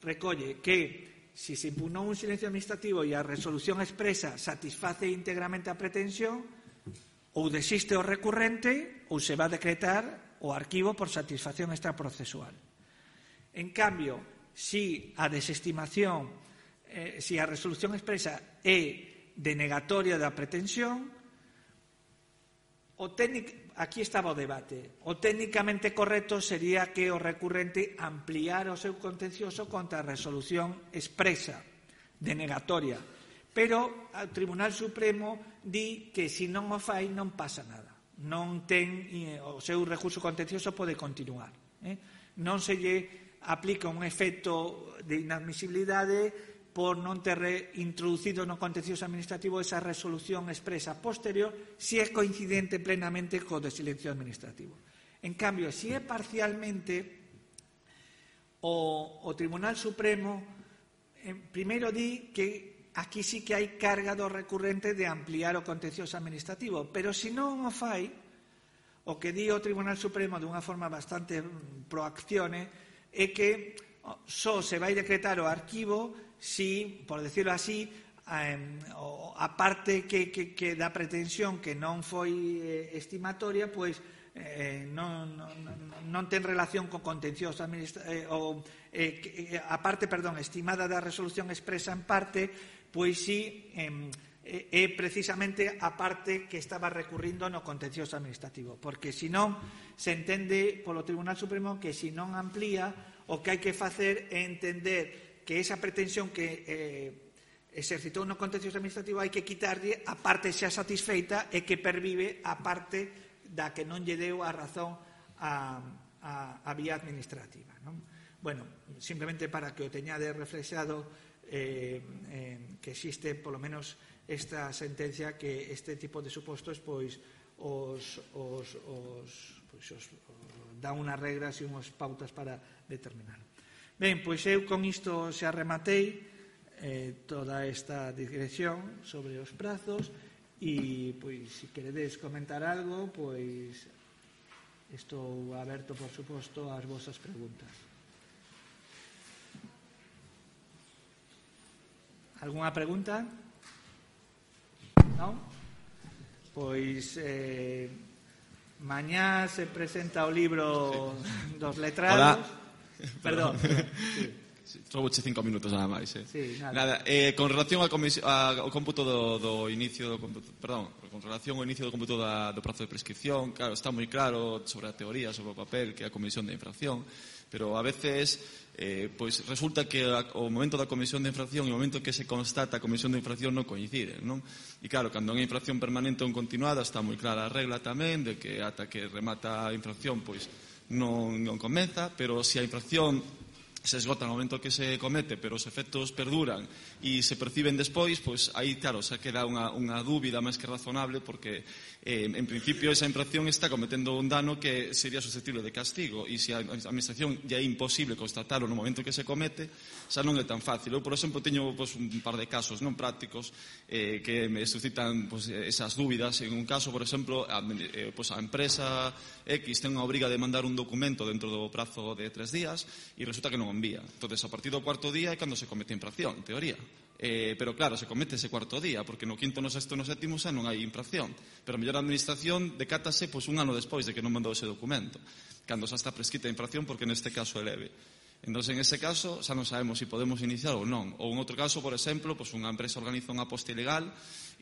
Recolle que, se se impugnou un silencio administrativo e a resolución expresa satisface íntegramente a pretensión, ou desiste o recurrente ou se va a decretar o arquivo por satisfacción extraprocesual. En cambio, si a desestimación, eh, si a resolución expresa é denegatoria da pretensión, o técnico, aquí estaba o debate. O técnicamente correcto sería que o recurrente ampliara o seu contencioso contra a resolución expresa, denegatoria. Pero o Tribunal Supremo di que se non o fai non pasa nada. Non ten, o seu recurso contencioso pode continuar. Eh? Non se lle aplica un efecto de inadmisibilidade por non ter introducido no contencioso administrativo esa resolución expresa posterior si é coincidente plenamente co de silencio administrativo. En cambio, si é parcialmente, o, o Tribunal Supremo eh, primeiro di que aquí sí que hai carga do recurrente de ampliar o contencioso administrativo, pero se non o fai, o que di o Tribunal Supremo dunha forma bastante proaccione é que só se vai decretar o arquivo si, por decirlo así, a parte que, que, que da pretensión que non foi eh, estimatoria, pois eh, non, non, non ten relación co contencioso administrativo, eh, ou eh, a parte, perdón, estimada da resolución expresa en parte, pois si eh, é precisamente a parte que estaba recurrindo no contencioso administrativo, porque senón se entende polo Tribunal Supremo que se non amplía, o que hai que facer é entender que esa pretensión que eh, exercitou no contencioso administrativo hai que quitarlle a parte xa satisfeita e que pervive a parte da que non lle deu a razón a, a, a vía administrativa. Non? Bueno, simplemente para que o teñade reflexado eh, eh, que existe polo menos esta sentencia que este tipo de supostos pois os, os, os, pois, os, os dá unhas regras e unhas pautas para determinar. Ben, pois eu con isto xa rematei eh, toda esta digresión sobre os prazos e, pois, se queredes comentar algo, pois estou aberto, por suposto, ás vosas preguntas. Algúna pregunta? Non? Pois eh, mañá se presenta o libro sí. dos letrados. Hola. Perdón. Sí. Trouboche cinco minutos nada máis, eh. Sí, nada. Nada, eh, con relación ao, ao cómputo do, do inicio do cómputo, perdón, con relación ao inicio do cómputo da, do prazo de prescripción, claro, está moi claro sobre a teoría, sobre o papel que é a comisión de infracción, pero a veces eh, pois resulta que a, o momento da comisión de infracción e o momento que se constata a comisión de infracción non coinciden, non? E claro, cando é infracción permanente ou continuada está moi clara a regla tamén de que ata que remata a infracción pois non, non comeza, pero se a infracción se esgota no momento que se comete, pero os efectos perduran e se perciben despois, pois aí, claro, xa queda unha, unha dúbida máis que razonable, porque eh, en principio esa infracción está cometendo un dano que sería susceptible de castigo, e se a administración ya é imposible constatarlo no momento que se comete, xa non é tan fácil. Eu, por exemplo, teño pois, un par de casos non prácticos eh, que me suscitan pois, esas dúbidas. En un caso, por exemplo, a, eh, pois, a empresa X ten unha obriga de mandar un documento dentro do prazo de tres días e resulta que non envía. Entonces, a partir do cuarto día é cando se comete a infracción, en teoría. Eh, pero claro, se comete ese cuarto día, porque no quinto, no sexto, no sétimo xa non hai infracción. Pero a mellor a administración decátase pois, un ano despois de que non mandou ese documento, cando xa está prescrita a infracción, porque neste caso é leve. Entón, en ese caso, xa non sabemos se podemos iniciar ou non. Ou en outro caso, por exemplo, pois unha empresa organiza unha aposta ilegal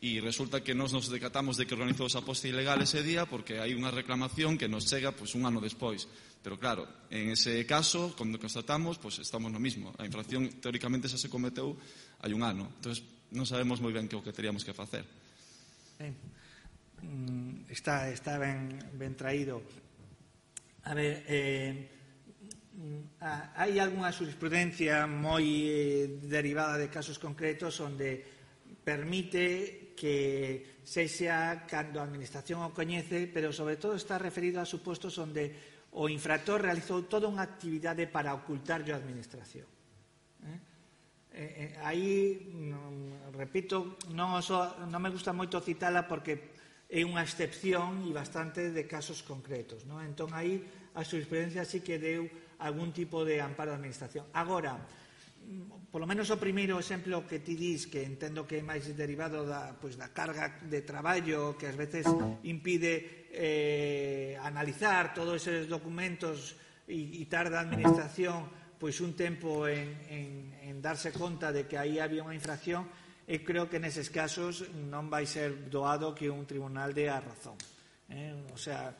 e resulta que nos nos decatamos de que organizou esa aposta ilegal ese día porque hai unha reclamación que nos chega pois, un ano despois. Pero claro, en ese caso, cando constatamos, pois estamos no mismo. A infracción, teóricamente, xa se cometeu hai un ano. Entón, non sabemos moi ben que o que teríamos que facer. Ben, está, está ben, ben traído. A ver, eh, hai algunha jurisprudencia moi eh, derivada de casos concretos onde permite que sexa cando a administración o coñece, pero sobre todo está referido a supostos onde o infractor realizou toda unha actividade para ocultarlle a administración. Eh? Eh, aí, non, repito, non, oso, non me gusta moito citala porque é unha excepción e bastante de casos concretos. Non? Entón, aí a jurisprudencia sí que deu algún tipo de amparo á administración. Agora, polo menos o primeiro exemplo que ti dis, que entendo que é máis derivado da, pois, da carga de traballo que ás veces impide eh, analizar todos esos documentos e, e tarda a administración pois un tempo en, en, en darse conta de que aí había unha infracción, e creo que neses casos non vai ser doado que un tribunal dé a razón. Eh? O sea,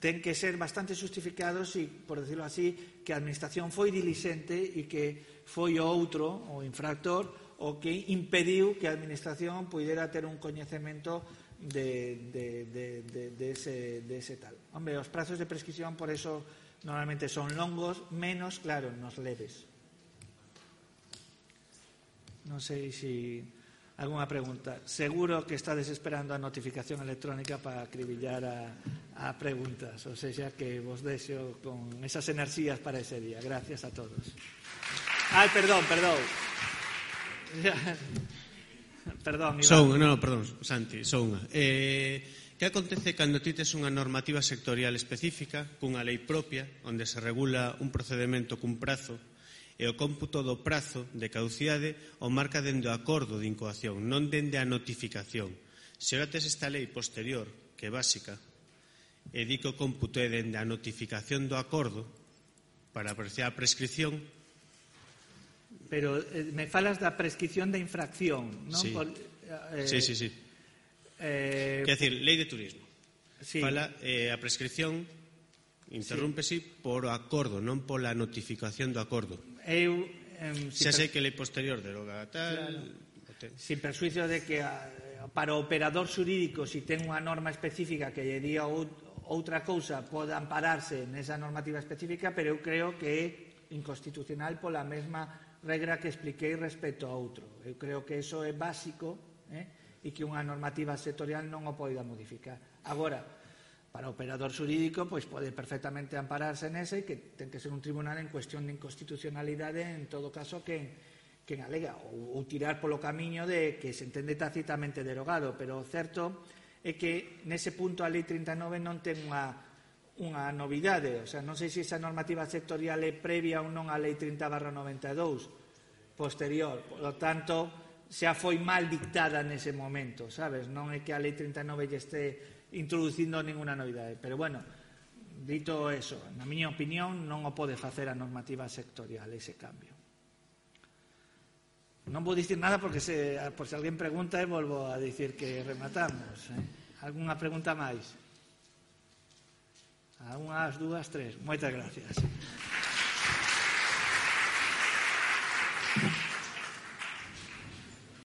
ten que ser bastante justificados e, por decirlo así, que a administración foi dilixente e que foi o outro, o infractor, o que impediu que a administración pudera ter un coñecemento de, de, de, de, de, ese, de ese tal. Hombre, os prazos de prescripción por eso normalmente son longos, menos, claro, nos leves. Non sei se algunha pregunta. Seguro que estades esperando a notificación electrónica para acribillar a, a preguntas, ou seja, que vos deixo con esas enerxías para ese día. Gracias a todos. Ai, perdón, perdón. Perdón, Iván. Só unha, non, perdón, Santi, só unha. Eh, que acontece cando ti tes unha normativa sectorial específica, cunha lei propia, onde se regula un procedimento cun prazo, e o cómputo do prazo de caducidade o marca dende o acordo de incoación, non dende a notificación. Se ora tes esta lei posterior, que é básica, e di que o cómputo é dende a notificación do acordo para apreciar a prescripción. Pero eh, me falas da prescripción da infracción, non? Sí, Por, eh, sí, sí, sí. Eh, Quer decir, lei de turismo. Sí. Fala eh, a prescripción interrúmpese sí. por o acordo, non pola notificación do acordo. Eu, eh, si Xa sei que lei posterior deroga tal... Claro. Sin persuicio de que a, para o operador xurídico, si ten unha norma específica que lle diga outra cousa, pode ampararse nesa normativa específica, pero eu creo que é inconstitucional pola mesma regra que expliquei respecto a outro. Eu creo que iso é básico, eh, e que unha normativa sectorial non o poida modificar. Agora, para o operador xurídico, pois pode perfectamente ampararse nese, e que ten que ser un tribunal en cuestión de inconstitucionalidade, en todo caso, que, que alega, ou, ou tirar polo camiño de que se entende tacitamente derogado, pero o certo é que nese punto a lei trinta e nove non ten unha, unha novidade, o sea, non sei se esa normativa sectorial é previa ou non á lei trinta barra noventa e dous, posterior, polo tanto, xa foi mal dictada nese momento, sabes? Non é que a lei trinta e nove lle este introducindo ninguna novidade, pero bueno, dito eso, na miña opinión non o pode facer a normativa sectorial ese cambio. Non vou dicir nada porque se, por se alguén pregunta e volvo a dicir que rematamos. Eh? Algúnha pregunta máis? A unhas, dúas, tres. Moitas gracias.